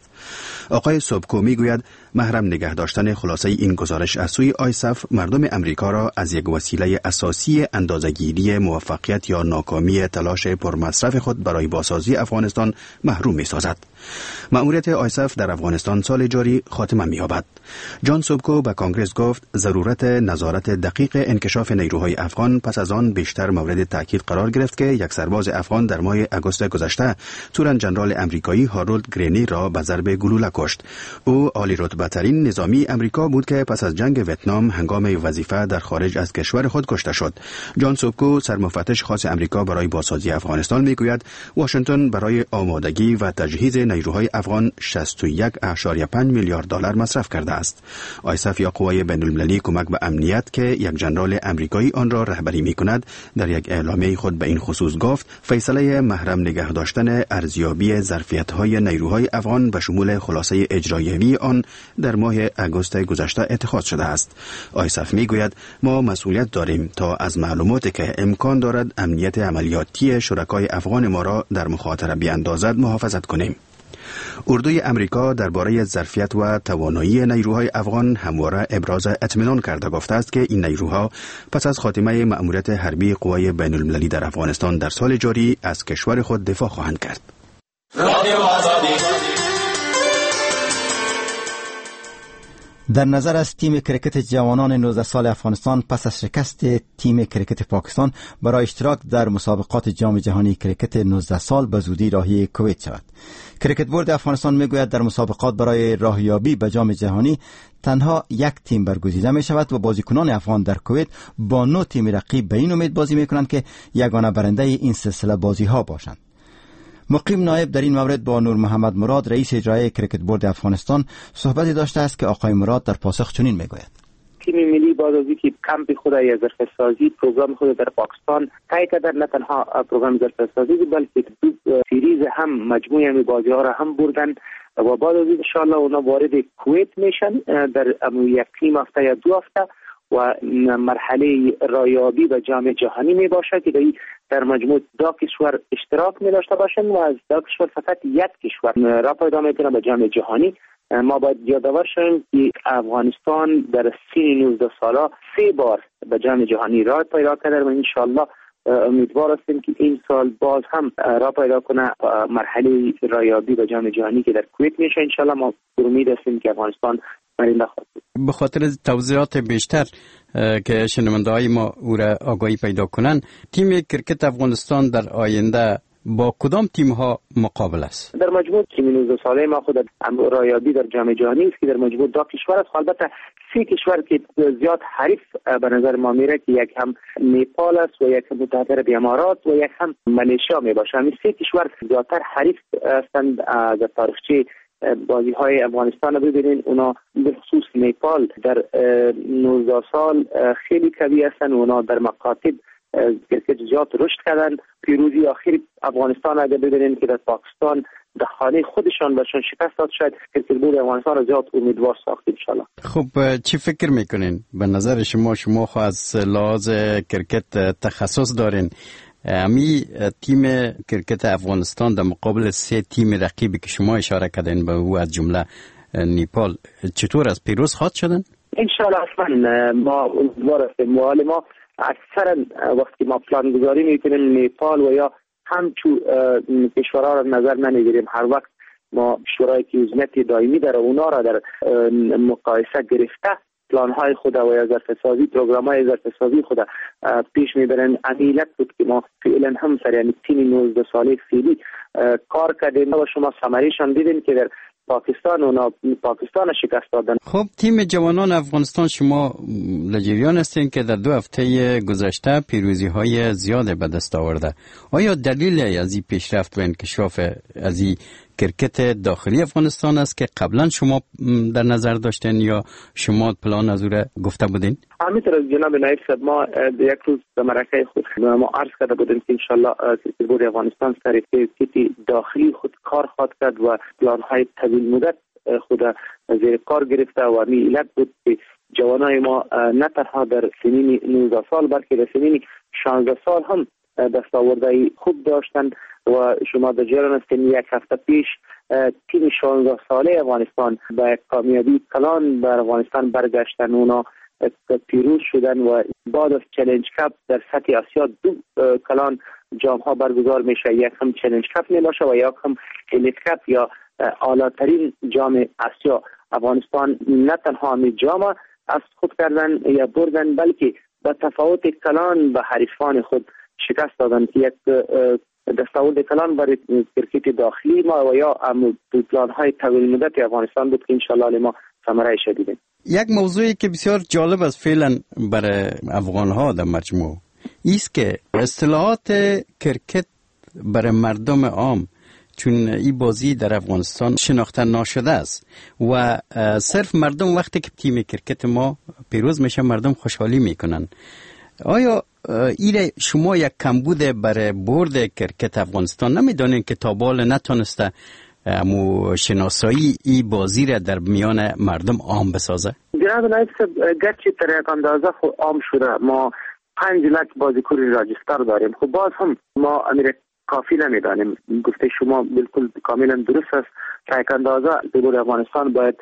آقای سوبکو میگوید محرم نگه داشتن خلاصه این گزارش از سوی آیسف مردم امریکا را از یک وسیله اساسی اندازه‌گیری موفقیت یا ناکامی تلاش پرمصرف خود برای بازسازی افغانستان محروم می‌سازد. مأموریت آیسف در افغانستان سال جاری خاتمه می‌یابد. جان سوبکو به کنگرس گفت ضرورت نظارت دقیق انکشاف نیروهای افغان پس از آن بیشتر مورد تاکید قرار گرفت که یک سرباز افغان در ماه آگوست گذشته تورن جنرال امریکایی هارولد گرینی را به ضرب گلوله کشت. او عالی رتبه ترین نظامی امریکا بود که پس از جنگ ویتنام هنگام وظیفه در خارج از کشور خود کشته شد. جان سوبکو سرمفتش خاص امریکا برای بازسازی افغانستان میگوید واشنگتن برای آمادگی و تجهیز نیروهای افغان 61.5 میلیارد دلار مصرف کرده است. آیسف یا قوای بین المللی کمک به امنیت که یک جنرال امریکایی آن را رهبری می کند در یک اعلامیه خود به این خصوص گفت فیصله محرم نگه داشتن ارزیابی ظرفیت‌های نیروهای افغان به شمول خلاصه اجرایوی آن در ماه آگوست گذشته اتخاذ شده است. آیسف می گوید ما مسئولیت داریم تا از معلوماتی که امکان دارد امنیت عملیاتی شرکای افغان ما را در مخاطره بیاندازد محافظت کنیم. اردوی امریکا درباره ظرفیت و توانایی نیروهای افغان همواره ابراز اطمینان کرده گفته است که این نیروها پس از خاتمه مأموریت حربی قوای بین المللی در افغانستان در سال جاری از کشور خود دفاع خواهند کرد. در نظر است تیم کرکت جوانان 19 سال افغانستان پس از شکست تیم کرکت پاکستان برای اشتراک در مسابقات جام جهانی کرکت 19 سال به زودی راهی کویت شود. کرکت بورد افغانستان میگوید در مسابقات برای راهیابی به جام جهانی تنها یک تیم برگزیده می شود و بازیکنان افغان در کویت با 9 تیم رقیب به این امید بازی می کنند که یگانه برنده این سلسله بازی ها باشند. مقیم نایب در این مورد با نور محمد مراد، رئیس اجرایی کرکت بورد افغانستان، صحبتی داشته است که آقای مراد در پاسخ چنین میگوید: تیم ملی بعد از اینکه کمپ خود یا ظرفیت سازی پروگرام خود در پاکستان طی کرد، نه تنها پروگرام ظرفیت سازی بلکه دو series هم مجموعه می بازی ها را هم بردن و بعد از ان شاء الله اونا وارد کویت میشن در یک نیم هفته یا 2 هفته و مرحله رایابی به جام جهانی می باشد که در مجموع 2 کشور اشتراک می داشته باشند و از 2 کشور فقط یک کشور را پیدا میکنه به جام جهانی. ما باید یادآور شویم که افغانستان در سن 19 ساله 3 بار به جام جهانی راه پیدا کرده و انشاءالله امیدوار هستیم که این سال باز هم راه پیدا کنه مرحله رایابی به جام جهانی که در کویت میشه. انشاءالله ما امید هستیم که افغانستان برنده خواهد بود. به خاطر توضیحات بیشتر که شنونده های ما او را آگاهی پیدا کنند، تیم کرکت افغانستان در آینده با کدام تیم ها مقابل است؟ در مجموع تیم 19 ساله ما خود رایابی در جام جهانی است که در مجموع 2 کشور است. البته 3 کشور که زیاد حریف به نظر ما میره که یک هم نیپال است و یک هم متحده عرب امارات و یک هم ملیشیا می باشه. این 3 کشور زیادتر حریف هستند. در تاریخچه بازی های افغانستان رو ببینین، اونا به خصوص نیپال در 19 سال خیلی قوی هستند. اونا در مکاتب کرکت زیاد رشد کردن. پیروزی آخر افغانستان اگر ببینین که در پاکستان در خانه خودشان بهشون شکست داد، شاید کرکت بورد افغانستان را زیاد امیدوار ساخت انشالله. خب چی فکر میکنین؟ به نظر شما خو از لحاظ کرکت تخصص دارین، امی تیم کرکت افغانستان در مقابل 3 تیم رقیبی که شما اشاره کردین به او از جمله نیپال چطور از پیروز خواهد شدن؟ انشالله اصلا ما امیدوار هستیم. ما اکثرا وقتی ما پلان گذاری میکنیم نیپال و یا همچو کشورها را نظر نمیگیریم. هر وقت ما کشورهایی که عضویت دائمی داره اونا را در مقایسه گرفته پلان های خود و یا ظرف سازی پروگرام های ظرف سازی خود پیش میبرن. عمیلت بود که ما فعلا هم سر یعنی تیم 19 ساله فعلی کار کردیم و شما ثمره‌شان دیدین که در پاکستان اونا پاکستان شکست دادن. خب تیم جوانان افغانستان شما در جریان هستین که در 2 هفته گذشته پیروزی های زیاد به دست آورده. آیا دلیل از این پیشرفت و انکشاف از این کرکت داخلی افغانستان است که قبلا شما در نظر داشتین یا شما پلان از او را گفته بودین؟ همینطور جناب نایب صاحب، ما یک روز به مرکه خود ما عرض کرده بودیم که انشالله کرکت بورد افغانستان سر کرکت داخلی خود کار خواهد کرد و پلان های طویل مدت خود زیر کار گرفته و می علت بود که جوانای ما نه تنها در سنین 19 سال بلکه در سنین 16 سال هم دستاوردهای خوب داشتند و شما در جریان هستین یک هفته پیش تیم 16 ساله افغانستان با کامیابی کلان بر افغانستان برگشتن، اونا پیروز شدن و بعد از Challenge Cup در سطح آسیا 2 کلان جام ها برگزار میشه، یک هم Challenge Cup میباشه و یک هم Elite Cup یا اعلی ترین جام آسیا. افغانستان نه تنها می جام از خود کردن یا بردن بلکه با تفاوت کلان به حریفان خود شکست دادن که یک دستاورد کلان برای کرکت داخلی ما و یا پلان های طویل مدت افغانستان بود که انشالله ما ثمره شدیدیم. یک موضوعی که بسیار جالب است فعلا برای افغان ها در مجموع ایست که اصطلاحات کرکت برای مردم عام، چون این بازی در افغانستان شناخته ناشده است و صرف مردم وقتی که تیم کرکت ما پیروز میشه مردم خوشحالی میکنن. آیا ایره شما یک کمبود برای برد کرکت افغانستان نمیدانین که تا بال نتونسته امو شناسایی ای بازی را در میان مردم عام بسازه؟ جناب نایب صاحب، گرچه در یک اندازه خو عام شده، ما 5 لک بازیکن راجستر داریم، خب باز هم ما امیر کافی نمیدانیم. گفته شما بالکل کاملا درست است. تا یک اندازه بورد افغانستان باید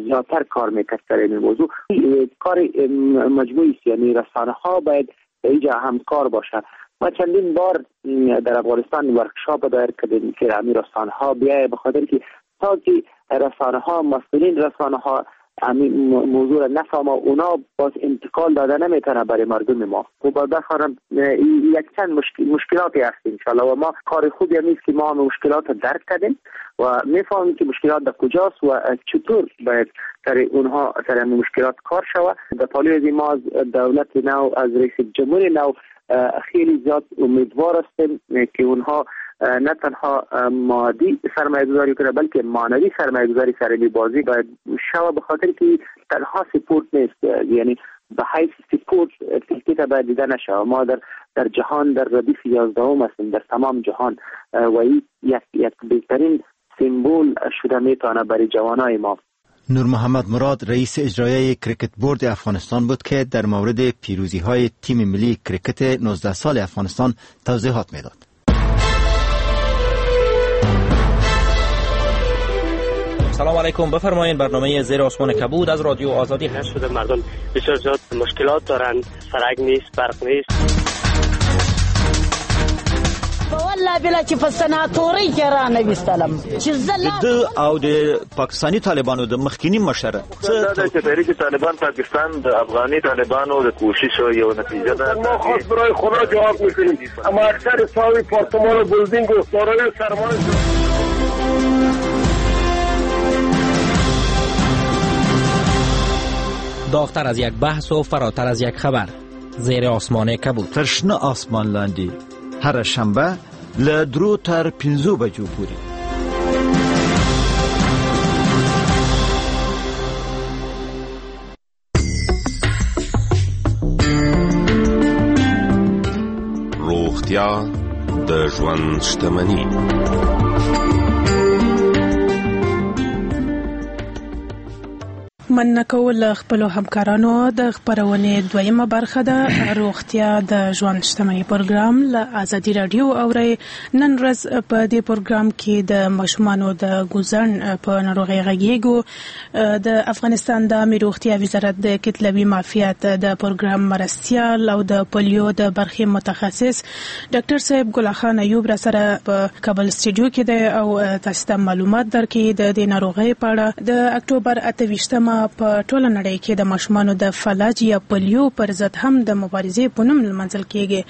زیادتر کار میکرد در این موضوع. کار مجموعی است، یعنی رسانه ها باید اینجا همکار باشه. ما چندین بار در افغانستان ورکشاپ دایر کردیم که همین رسانه ها بیای، به خاطر که تا که رسانه ها، مسئولین رسانه ها همین موضوع را نفهمه، اونا باز انتقال داده نمیتونه برای مردم ما. خب بخارم یک چند مشکلاتی هست انشالله و ما کار خوبی هم نیست که ما هم مشکلات را درک کردیم و میفهمیم که مشکلات در کجاست و چطور باید سر اونها سر مشکلات کار شود. در پالوی از ما از دولت نو، از رئیس جمهور نو خیلی زیاد امیدوار هستیم که اونها نه تنها مادی سرمایه گذاری کنه بلکه معنوی سرمایه گذاری سر این بازی باید شوه، به خاطر که تنها سپورت نیست، یعنی به حیث سپورت کرکت باید دیده نشوه. ما در جهان در ردیف 11 هستیم در تمام جهان و این یک بهترین سمبول شده میتونه برای جوانای ما. نور محمد مراد رئیس اجرایی کرکت بورد افغانستان بود که در مورد پیروزی های تیم ملی کرکت 19 سال افغانستان توضیحات میداد. سلام علیکم، بفرمایید برنامه زیر آسمان کبود از رادیو آزادی. شده مردم بسیار زیاد مشکلات دارند، سرک نیست، برق نیست. والله بلا چې په سناتوري کې را نه وستلم چې زه د او د پاکستاني طالبانو د مخکینی مشر څه چې تحریک طالبان پاکستان د افغاني طالبانو د کوشش یو نتیجه ده. ما خواست برای خدا جواب میکنیم، اما اکثر صاحب پارتمان و بلدینگ و دارای سرمایه. داغتر از یک بحث و فراتر از یک خبر، زیر آسمان کبود. تر شنه آسمان لاندې هره شنبه له 3 تر 5 بجو پورې. روغتیا د ژوند شتمني. مننه کوو له خپلو همکارانو. د خپرونې دویمه برخه ده روغتیا د ژوند شتمني پروګرام له ازادي راډیو اورئ. نن ورځ په دې پروګرام کې د ماشومانو د ګوزڼ په ناروغۍ غږیږو. د افغانستان د عامې روغتیا وزارت د کتلوي معافیت د پروګرام مرستیال او د پولیو د برخې متخصص ډاکټر صاحب ګل خان ایوب را سره په کابل سټډیو کې دی او تاسو ته معلومات درکوي د دې ناروغۍ په اړه. د اکتوبر 28 په ټوله نړۍ کې د ماشومانو د فلج یا پولیو پر ضد هم د مبارزې په نوم لمانځل کیږي.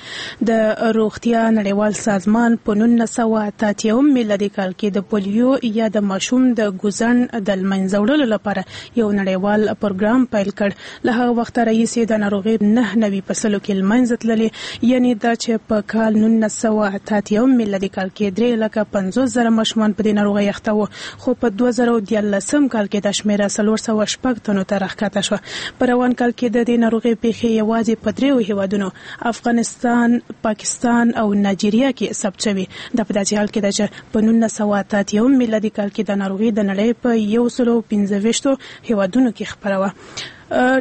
د روغتیا نړیوال سازمان په 1981 میلادي کال کې د پولیو یا د ماشوم د ګوزڼ د لمنځه وړلو لپاره یو نړیوال پروګرام پیل کړ. له هغه وخته راهیسې د ناروغۍ 99% کې لمنځه تللې، یعنې دا چې په کال 1981 میلادي کال کې 350,000 ماشومان په دې ناروغۍ اخته وو، خو په 2013 کال کې دا شمېره 406 تنو ته راښکته شوه. په روان کال کې د دې ناروغۍ پېښې یوازې په 3 هیوادونو افغانستان، پاکستان او نایجیریا کې ثبت شوې. دا په داسې حال کې ده چې په 1981 میلادي کال کې د ناروغۍ د نړۍ په 125 هیوادونو کې خپره وه.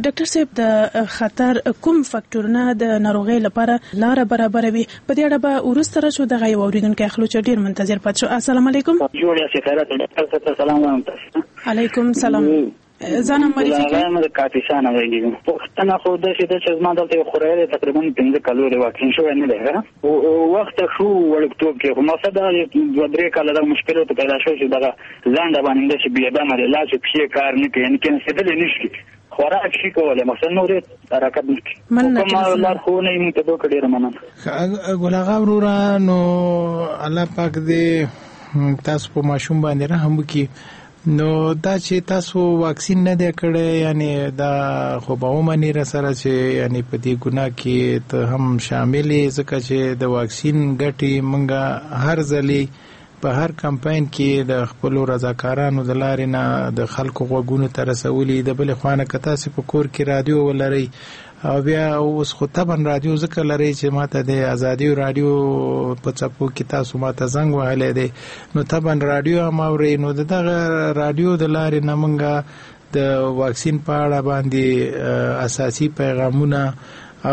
ډاکټر صاحب، د خطر کوم فاکتورونه د ناروغۍ لپاره لاره برابروي؟ په دې اړه به وروسته راشو. دغه یو اورېدونکی اخلو چې ډېر منتظر پاتې شو. السلام علیکم. جوړ یاست؟ خیرات ډاکټر صاحب سلام وایم تاسو. علیکم سلام. ځان معرفي کړئ. زه د کاپیسا نه غږیږم. پوښتنه خو داسې ده چې زما دلته یو خوریا دی، تقریبا 5 کالو دی، واکسین شوی نه دی. وخت شو وړکتوب کې، خو مقصد دا 2-3 کاله دغه مشکل ورته پیدا شو چې دغه لنډه باندې داسې بې دمه دی، لاس پښې کار نه کوي، یعنې کېناستېدلی نه شي، خوراک شي کولی، مقصد نور یې حرکت نه کوي. کومه لارښوونه یې موږ ته وکړه؟ ډېره مننه. ګل اغا وروره، نو الله پاک دې تاسو په ماشوم باندې رحم وکړي. نو دا چې تاسو واکسین نه دی کړی، یعنی دا خو به ومنې را سره چې یعنی په دې ګناه کې ته هم شامل یې، ځکه چې د واکسین ګټې موږ هر ځلې په هر کمپاین کې د خپلو رضاکارانو د لارې نه د خلکو غوږونو ته رسولي. د بلې خوا نه که تاسې په کور کې رادیو ولرئ، او بیا اوس خو طبعا رادیو ځکه لرئ چې ماته د ازادي رادیو په څپو کې تاسو ماته زنګ وهلی دی، نو طبعا رادیو هم اورئ. نو د دغه رادیو د لارې نه موږ د واکسین په اړه باندې اساسي پیغامونه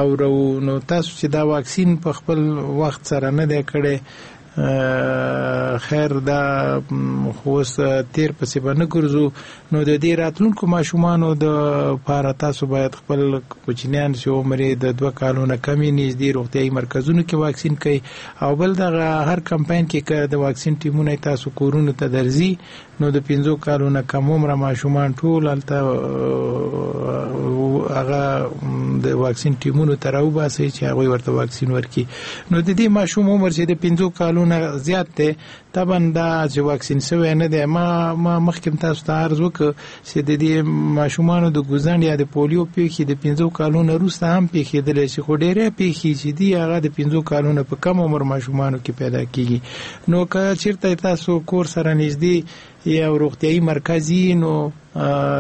اورو. نو تاسو چې دا واکسین په خپل وخت سره نه دی کړی، خیر دا خو اوس تیر پسې به نه ګرځو. نو د دې راتلونکو ماشومانو د پاره تاسو باید خپل کوچنیان چې عمر یې د 2 کالو نه کم وي نږدې روغتیايي مرکزونو کې واکسین کړئ. او بل دغه هر کمپاین کې که د واکسین ټیمونه تاسو کورونو ته درځي نو د 5 کالو نه کم عمره ماشومان ټول هلته هغه د واکسین ټیمونو ته راوباسئ چې هغوی ورته واکسین ورکړي. نو د دې ماشوم عمر چې د 5 کالو نه زیات دی طبعا دا چې واکسین شوی نه دی، ما مخکې تاسو ته عرض وکړ چې د دې ماشومانو د ګوزڼ یا د پولیو پیښې د 5 کالو نه وروسته هم پیښېدلی شي، خو ډېری پیښې چې دي هغه د 5 کالو نه په کم عمر ماشومانو کې پیدا کیږي. نو که چیرته تاسو کور سره نږدې یو روغتیایي مرکز یي نو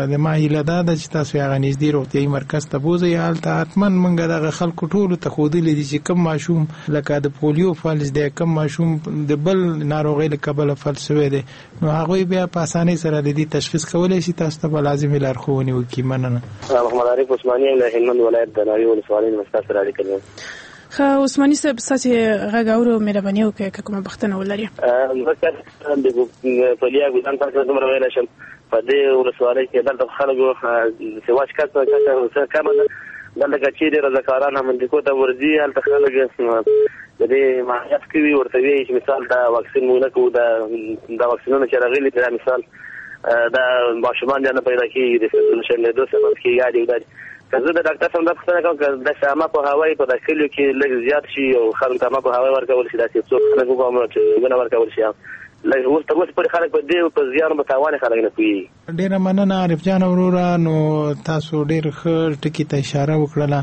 د ما هیله دا ده چې تاسو هغه نږدې روغتیایي مرکز ته بوځئ. هلته حتما موږ دغه خلکو ټولو ته ښودلي دي چې کوم ماشوم لکه د پولیو فلج دی، کوم ماشوم د بل ناروغۍ له کبله فلج شوی دی، نو هغوی بیا په اسانۍ سره د دې تشخیص کولی شي. تاسو ته به لازمې لارښوونې وکړي. مننه. محمد عارف عثماني یم له هلمند ولایت د ناوې ولسوالۍ نه ستاسو سره اړیکه لرم. ښه عثماني صاحب، ستاسو غږ اورو، مهرباني وکړئ که کومه پوښتنه ولرئ. د پلیا ګوزڼ په هکله دومره ویلی شم، په دې ولسوالۍ کې دلته خلکو سواج کچه کمه ده. دلته که چیرې رضاکاران هم اندیکو ته ورځي هلته خلک د دې معاینات کوي، ورته وایي چې مثال دا واکسین موږ نه کوو، دا واکسینونه چې راغلي دا مثال دا ماشومان بیا نه پیدا کېږي، د شلېدو سبب کېږي یا دي. که زه د ډاکټر صاحب دا پوښتنه کوم که داسې عامه پوهاوی په دا کلیو کې لږ زیات شي او خلکو ته عامه پوهاوی ورکول شي، داسې څوک خلک وګورم چې ونه ورکول شي، لږ اوس تر اوسه پورې خلک په دې په زیان په تاوان خلک نه پوهېږي. ډېره مننه عارف جان وروره. نو تاسو ډېر ښه ټکي ته اشاره وکړله.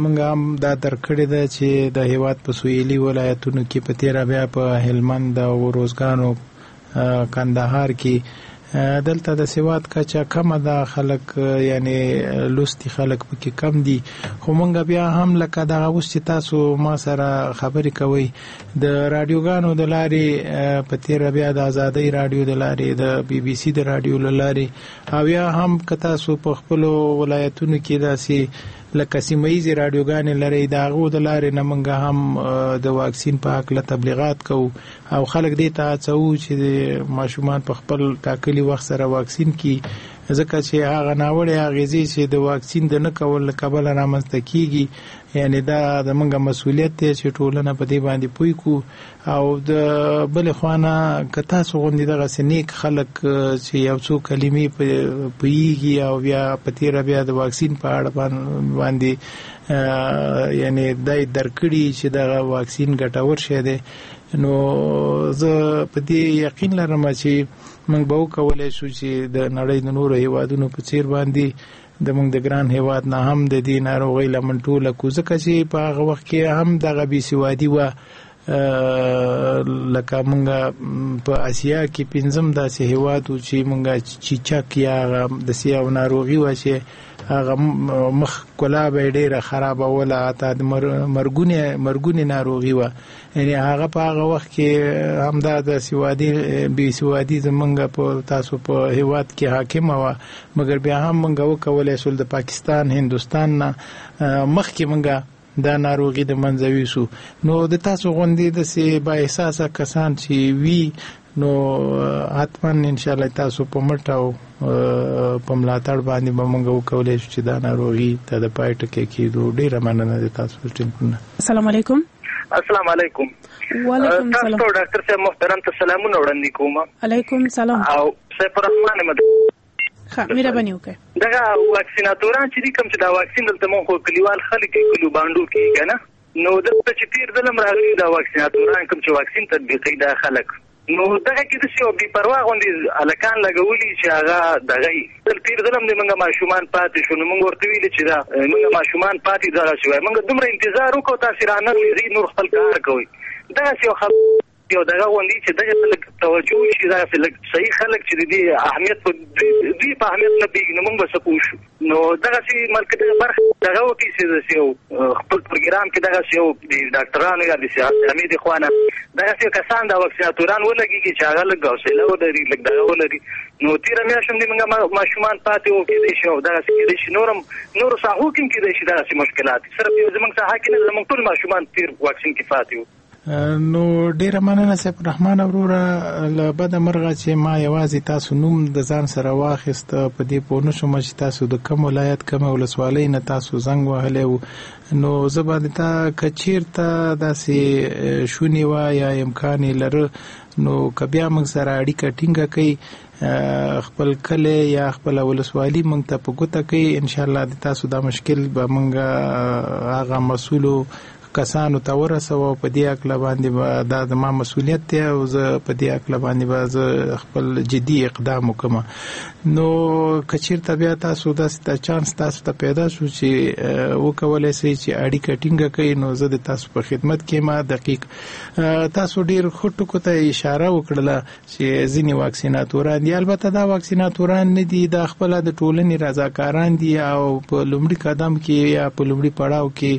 موږ هم دا درک کړې ده چې د هېواد په سویلي ولایتونو کې په تېره بیا په هلمند او روزګان او کندهار کې دلته د سواد کچه کمه ده، خلک یعنی لوستي خلک پکې کم دي. خو مونږ بیا هم لکه دغه اوس چې تاسو ما سره خبرې کوئ د راډیوګانو د لارې، په تېره بیا د ازادۍ راډیو د لارې، د بي بي سي د راډیو له لارې، او یا هم که تاسو په خپلو ولایتونو کې داسې لکه سیمه ییزې راډیوګانې لرئ د هغو د لارې نه مونږ هم د واکسین په هکله تبلیغات کوو او خلک دې ته هڅوو چې ماشومان په خپل ټاکلي وخت سره واکسین کړي، ځکه چې هغه ناوړې اغېزې چې د واکسین د نه کولو له کبله رامنځته کیږي، یعنی دا د موږ مسولیت دی چې ټولنه په دې باندې پوه کړو. او د بلې خوا نه که تاسو غوندې دغسې نیک خلک چې یو څو کلمې پوهېږي او بیا په تېره بیا د واکسین په اړه باندې یعنی دا یې درک کړي چې دغه واکسین ګټور شی دی، نو زه په دې یقین لرم چې موږ به وکولای شو چې د نړۍ د نورو هیوادونو په څیر باندې د موږ د ګران هیواد نه هم د دې ناروغۍ لمن ټوله کړو، ځکه چې په هغه وخت کې هم دغه بې سوادي وه. لکه موږ په اسیا کې پنځم داسې هیواد و چې موږ چیچک یا هغه داسې یو ناروغي وه چې هغه مخ کلا به یې ډېره خرابه وله، حتی د مرګونې ناروغي وه. یعنی هغه په هغه وخت کې همدا د سوادي بې سوادي زمونږ په تاسو په هیواد کې حاکمه وه، مګر بیا هم موږ وکولای شول د پاکستان هندوستان نه مخکې موږ دا ناروغي د منځه ویسو. نو د تاسو غوندې داسې با احساسه کسان چې وي نو حتما ان شاء الله تاسو په مټ او په ملاتړ باندې به موږ وکولای شو چې دا ناروغي ته د پای ټکی کېدو. ډېره مننه د تاسو ټلیفون. السلام علیکم. السلام علیکم. وعلیکم سلام. تاسو ډاکټر صاحب محترم ته سلامونه وړاندې کوم. علیکم سلام. او سیف الرحمن مد ښه مهرباني وکړئ. دغه واکسیناتوران چې دي کوم چې دا واکسین دلته مونږ خو کلیوال خلک کلو باندو کې کنه، نو دلته چې تیر ځل راغلي دا واکسیناتوران کوم چې واکسین تطبیقوي دا خلک، نو دغه کې داسې یو بې پروا غوندې هلکان لګولي چې هغه دغه یي. تیر ځل هم د موږ ماشومان پاتې شو، نو موږ ورته ویلي چې دا موږ ماشومان پاتې دغسې وایي، موږ دومره انتظار وکړو تاسې رانغلي ځئ نور خپل کار کوئ. دغسې یو یو دغه غوندې چې دغه لږ توجه شي، دغسې لږ صحیح خلک چې د دې اهمیت په دوی په اهمیت نه پوهېږي نو موږ به څه پوه شو. نو دغسې ملک دغه برخه دغه وکړي چې داسې یو خپل پروګرام کې دغسې یو د ډاکټرانو یا د صحت عامې د خوا نه دغسې کسان دا واکسیناتوران ولګېږي چې هغه لږ حوصله ولري، لږ دغه ولري. نو تېره میاشت هم د موږ ماشومان پاتې وو، کېدای شي او دغسې کېدای شي نور هم نورو ساحو کې هم کېدای شي دغسې مشکلات، صرف یو زموږ ساحه کې نه، زموږ ټول ماشومان تېر واکسین کې پاتې وو. نو ډیره مننه سیف الرحمن وروره، له بده مرغه چې ما یوازې تاسو نوم د ځان سره واخیست، په دې پوه نه شوم چې تاسو د کوم ولایت کومې ولسوالۍ نه تاسو زنګ وهلی و. نو زه به تا که چیرته داسې شونې وه یا امکان یې لره، نو که بیا موږ سره اړیکه ټینګه کړئ، خپل کلی یا خپله ولسوالي موږ ته په ګوته کړئ، انشاءالله د تاسو دا مشکل به موږ هغه مسؤلو کسانو ته ورسوو او په دې هکله باندې به دا زما مسؤلیت دی او زه په دې هکله باندې به زه خپل جدي اقدام وکړم. نو که چیرته بیا تاسو داسې ته چانس تاسو ته پیدا شو چې وکولای شئ چې اړیکه ټینګه کړئ، نو زه د تاسو په خدمت کې یم. دقیق تاسو ډیر ښه ټکو ته اشاره وکړله چې ځینې واکسیناتوران دي، البته دا واکسیناتوران نه دي، دا خپله د ټولنې رضاکاران دي او په لومړي قدم کې یا په لومړي پړاو کې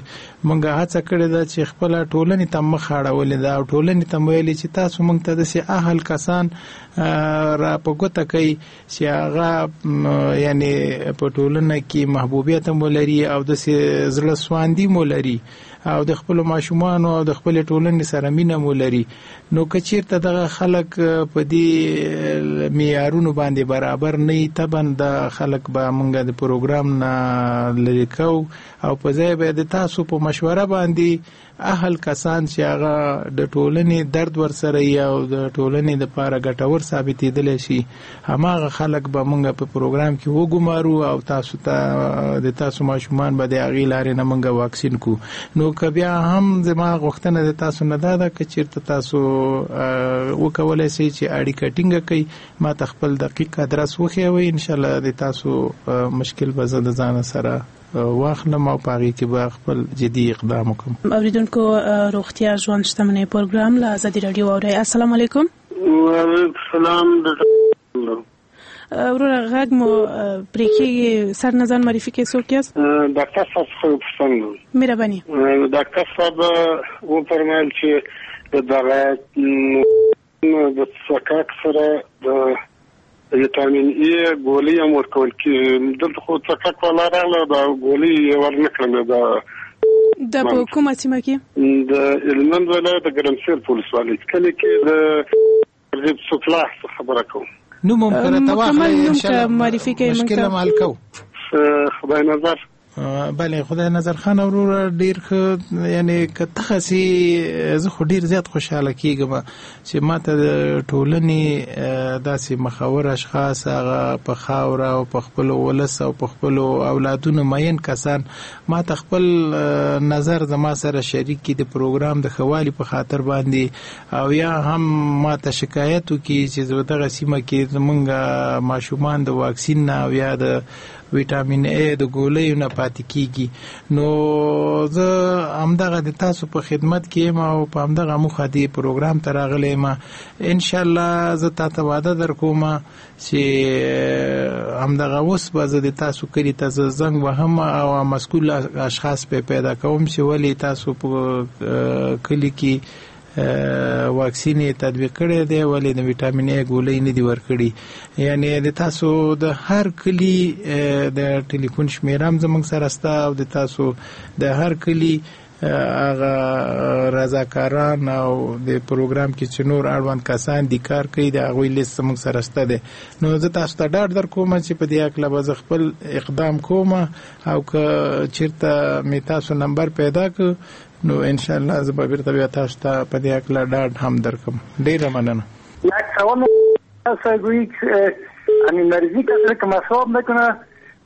مونږ هڅه کړې ده چې خپله ټولنې ته مخ اړولې ده او ټولنې ته مو ویلي چې تاسو مونږ ته داسې اهل کسان را په ګوته کوي چې هغه یعنی په ټولنه کې محبوبیت هم ولري او داسې زړه سواندي مو لري او د خپلو ماشومانو او د خپلې ټولنې سره مینه مو لري. نو که چیرته دغه خلک په دې معیارونو باندې برابر نه وي، طبعا دا خلک به مونږ د پروګرام نه لرې کوو او په ځای به د تاسو په مشوره باندې اهل کسان چې هغه د ټولنې درد ورسره وي او د ټولنې لپاره ګټور ثابتېدلی شي، هماغه خلک به مونږ په پروګرام کې وګمارو او تاسو ته د تاسو ماشومان به د هغې لارې نه مونږ واکسین کړو. نو که بیا هم زما غوښتنه د تاسو نه دا ده که چیرته تاسو وکولای شئ چې اړیکه ټینګه کړئ، ما ته خپل دقیق ادرس وښیوئ، انشاءالله د تاسو مشکل به زه د ځانه سره واخلم او په هغې کې به خپل جدي اقدام وکړم. اوریدونکو، روغتیا ژوند شتمنۍ پروګرام له ازادي راډیو اورئ. السلام علیکم. وعلیکم السلام. وروره غږ مو پرې کېږي، سر نه ځان معرفي کړئ، څوک یاست؟ ډاکټر صاحب څخه یو پوښتنه لرم. مهرباني. ډاکټر صاحب وفرمایل چې د دغه د څکاک سره د ویټامین ای ګولۍ هم ورکول کېږي. دلته خو څکاک والا راغله، دا ګولۍ یې ورنه کړلې. دا په کومه سیمه کې؟ د هلمند ولایت د ګرمسیر په ولسوالۍ کلي کې د رزیب سفلاح څخه خبره کوم. نوم هم که راته واخلئ، مکمل نوم ان شاء که الله معرفي کوئ موږ مشکل ته. هم حل کوو. خدای نظر. بله، خدای نظر خان وروره ډیر ښه، یعنی که تخصي زه خو ډیر زیات خوشحاله کیږم چې ما ته د ټولنې داسې مخور اشخاص، هغه په خاوره او په خپل ولس او په خپل اولادونو مین کسان ما ته خپل نظر زما سره شریک کړي د پروګرام د ښه والي په خاطر باندې، او یا هم ما ته شکایت وکړي چې زه دغه سیمه کې زمونږ ماشومان د واکسین نه او یا د ویټامین ای د ګولیو نه پاتې کیږي. نو زه همدغه د تاسو په خدمت کې یم او په همدغه موخه دې پروګرام ته راغلی یم. انشاءالله زه تا ته وعده درکوم چې همدغه اوس به زه د تاسو کلي ته زه زنګ وهم او مسؤل اشخاص به پیدا کوم چې ولې تاسو په کلي کې واکسین یې تطبیق کړی دی، ولې د ویټامین ای ګولۍ نه دي ورکړي. یعنی د تاسو د هر کلي د ټلیفون شمېره هم زموږ سره شته او د تاسو د هر کلي هغه رضاکاران او د پروګرام کې چې نور اړوند کسان دي کار کوي، د هغوی لیست زموږ سره شته دی. نو زه تاسو ته ډاډ در کوم چې په دې هکله به زه خپل اقدام کوم او که چیرته مې تاسو نمبر پیدا کړ نو ان شاء الله زه به بیرته بیا تاسو ته په دې هکله ډاډ هم درکړم. ډیره مننه. یک سوال گویی که همین مریضی کسی که مصاب میکنه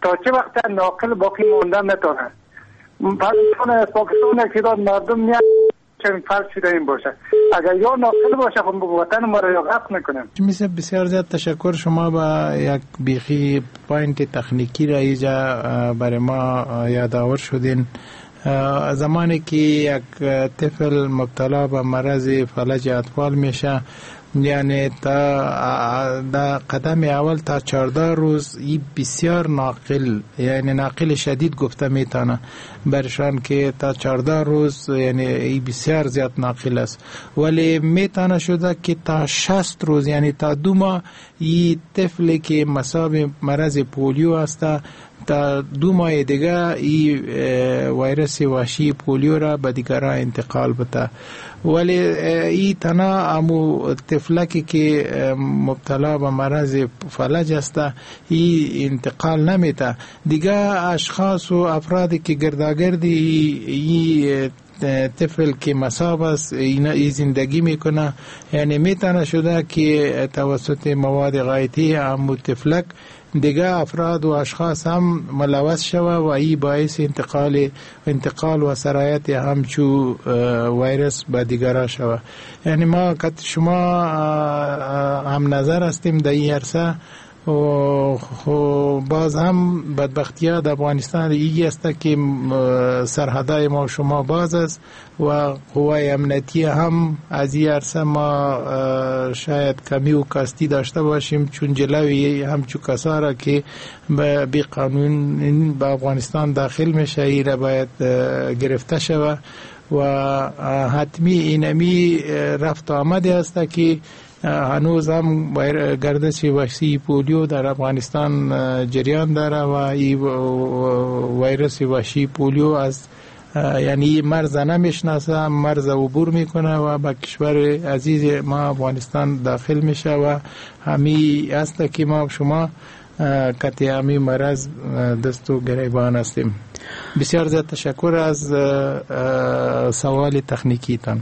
تا چه وقت ناقل باقی مانده میتونه؟ پاکستان یک تعداد مردم میاد چون فرض شده این باشه، اگر یا ناقل باشه خب وطن ما را یا غرق میکنه. میسه بسیار زیاد تشکر. شما با یک بیخی point تکنیکی را ایجا برای ما یادآور شدین. زمانی که یک طفل مبتلا به مرض فلج اطفال میشه، یعنی تا دا قدم اول تا 14 روز ای بسیار ناقل، یعنی ناقل شدید گفته میتونه برشان که تا 14 روز یعنی ای بسیار زیاد ناقل است، ولی میتونه شده که تا 60 روز یعنی تا 2 ماه ای طفل که مصاب مرض پولیو است تا 2 ماه دیگه این ویروس وحشی پولیو را به دیگران انتقال بده. ولی این تنها امو طفلکی که مبتلا به مرض فلج است این انتقال نمیده، دیگه اشخاص و افرادی که گرداگردی این طفل که مصاب است اینا زندگی میکنه، یعنی میتونه شده که توسط مواد غایطی امو طفلک دیگه افراد و اشخاص هم ملوث شوه و ای باعث انتقال و سرایت همچو ویروس به دیگران شوه. یعنی ما که شما هم نظر هستیم در این عرصه. و باز هم بدبختی ها در افغانستان ای است که سرحدای ما و شما باز است و قوای امنیتی هم از این عرصه ما شاید کمی و کاستی داشته باشیم، چون جلوی همچو کسا را که بی قانون به افغانستان داخل میشه ای را باید گرفته شود و حتمی اینمی رفت آمده است که هنوز هم گردش وحشی پولیو در افغانستان جریان داره و این ویروس وحشی پولیو از یعنی مرز نمیشناسه، مرز عبور میکنه و به کشور عزیز ما افغانستان داخل میشه و همی است که ما شما کتی همی مرض دست و گریبان هستیم. بسیار زیاد تشکر از سوال تخنیکی تان.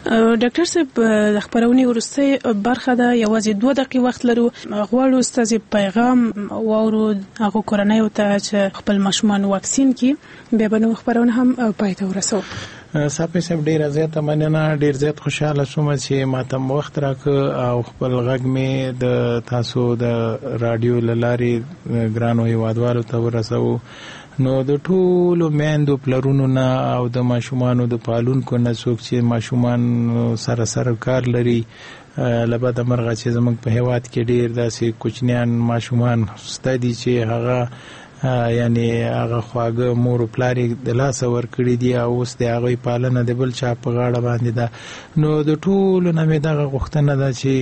ډاکټر صاحب، د خبرونې وروستۍ برخه ده، یوازې 2 دقیقې وخت لرو. غواړو ستاسو پیغام واورو هغو کورنیو ته چې خپل ماشومان واکسین کړي، بیا به نو خبرونه هم پای ته ورسوو. صاحب صاحب ډیره زیاته مننه، ډیر زیات خوشاله شوم چې ماته مو وخت راکړ او خپل غږ مې د تاسو د رادیو له لارې ګرانو هیوادوالو ته ورسوو. نو د ټولو میندو پلرونو نه او د ماشومانو د پالونکو نه څوک چې ماشومان سره سره کار لري، له بده مرغه چې زموږ په هیواد کې ډیر داسې کوچنیان ماشومان شته دي چې هغه یعنی هغه خواږه مور او پلار یې د لاسه ورکړي دي او اوس د هغوی پالنه د بل چا په غاړه باندې ده. نو د ټولو نه مې دغه غوښتنه ده چې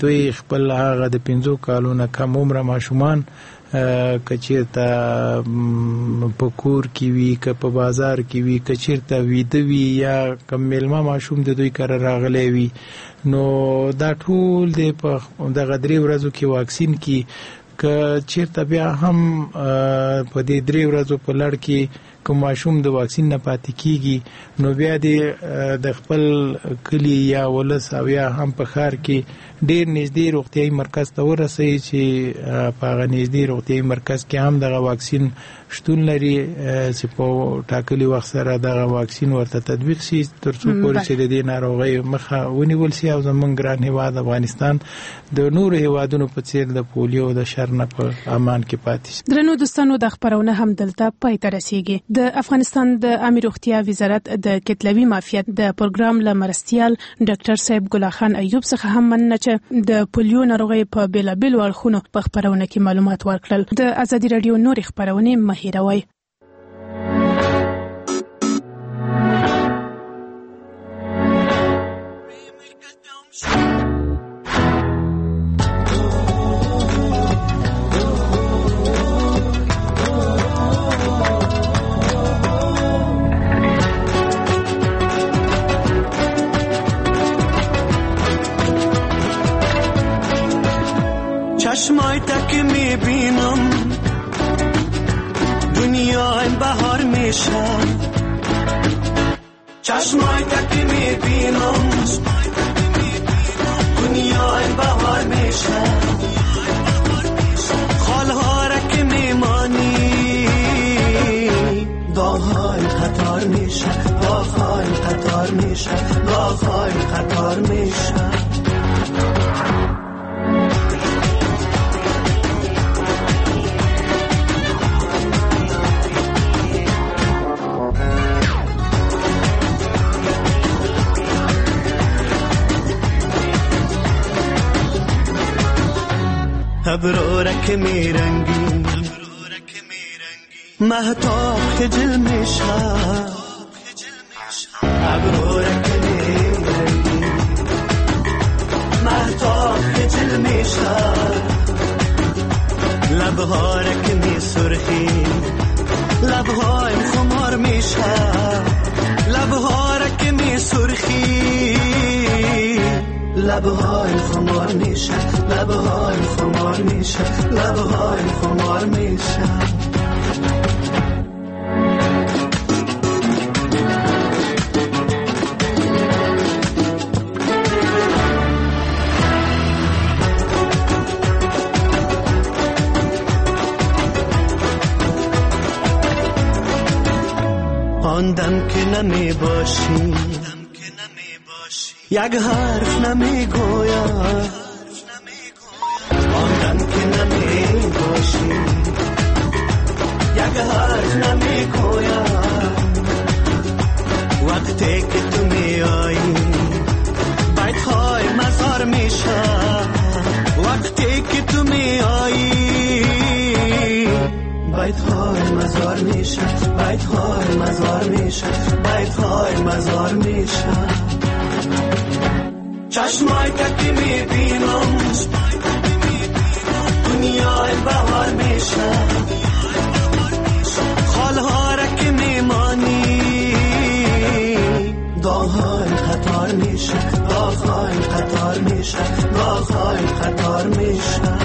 دوی خپل هغه د 5 کالو نه کم عمره ماشومان که چیرته په کور کې وي، که په بازار کې وي، که چیرته ویده وي یا کوم میلمه ماشوم د دوی کره راغلی وي، نو دا ټول د په دغه 3 ورځو کې واکسین کی. که چیرته بیا هم په دې 3 ورځو په لړ کې کوم ماشوم د واکسین نه پاتې کیږي، نو بیا د خپل کلی یا ولس او یا هم په ښار کې ډیر نږدې روغتیایي مرکز ته ورسوي چې په هغه نږدې روغتیایي مرکز کې هم دغه واکسین شتون لري چې په ټاکلي وخت سره دغه واکسین ورته تطبیق شي، تر څو پورې چې د دې ناروغۍ مخه ونیول شي او زموږ ګران هیواد افغانستان د نورو هیوادونو په څیر د پولیو د شر نه په امان کې پاتې شي. درنو دوستانو، د خپرونه هم دلته پای ته رسیږي. د افغانستان د عامې روغتیا وزارت د کتلوي معافیت د پروګرام له مرستیال ډاکټر صاحب ګلاخان ایوب څخه هم مننه چې د پولیو ناروغۍ په بېلابېلو اړخونو په خپرونه کې معلومات ورکړل. د ازادي راډیو نورې خپرونې مه هېروئ. چشمای تک میبینم دنیای بهار میشه، چشمای تک میبینم دنیای بهار میشه، خالها را که میمانی داغهای قطار میشه، داغهای قطار میشه، داغهای قطار میشه. ابرارک میرنگی مهتاب خجل میشه، ابرارک میرنگی مهتاب خجل میشه، لبهارک میسوزه سرخی، لبهایم خمار میشه، لبها را که می سرخی، لبهایم خمار میشه، لبهایم خمار میشه، لبهایم خمار میشه. آن دم که نمی باشی یک حرف نمی گویم، آن دم که نمی باشی یک حرف نمی گویم، وقتی که تو می آیی بیت های مزار میشه، وقتی که تو می آیی بیت های مزار میشه، بیت های مزار میشه، بیت های مزار میشه. چشمای که میبینم دنیای بهار میشه، خالها را که میمانی داغهای قطار میشه، داغهای قطار میشه، داغهای قطار میشه.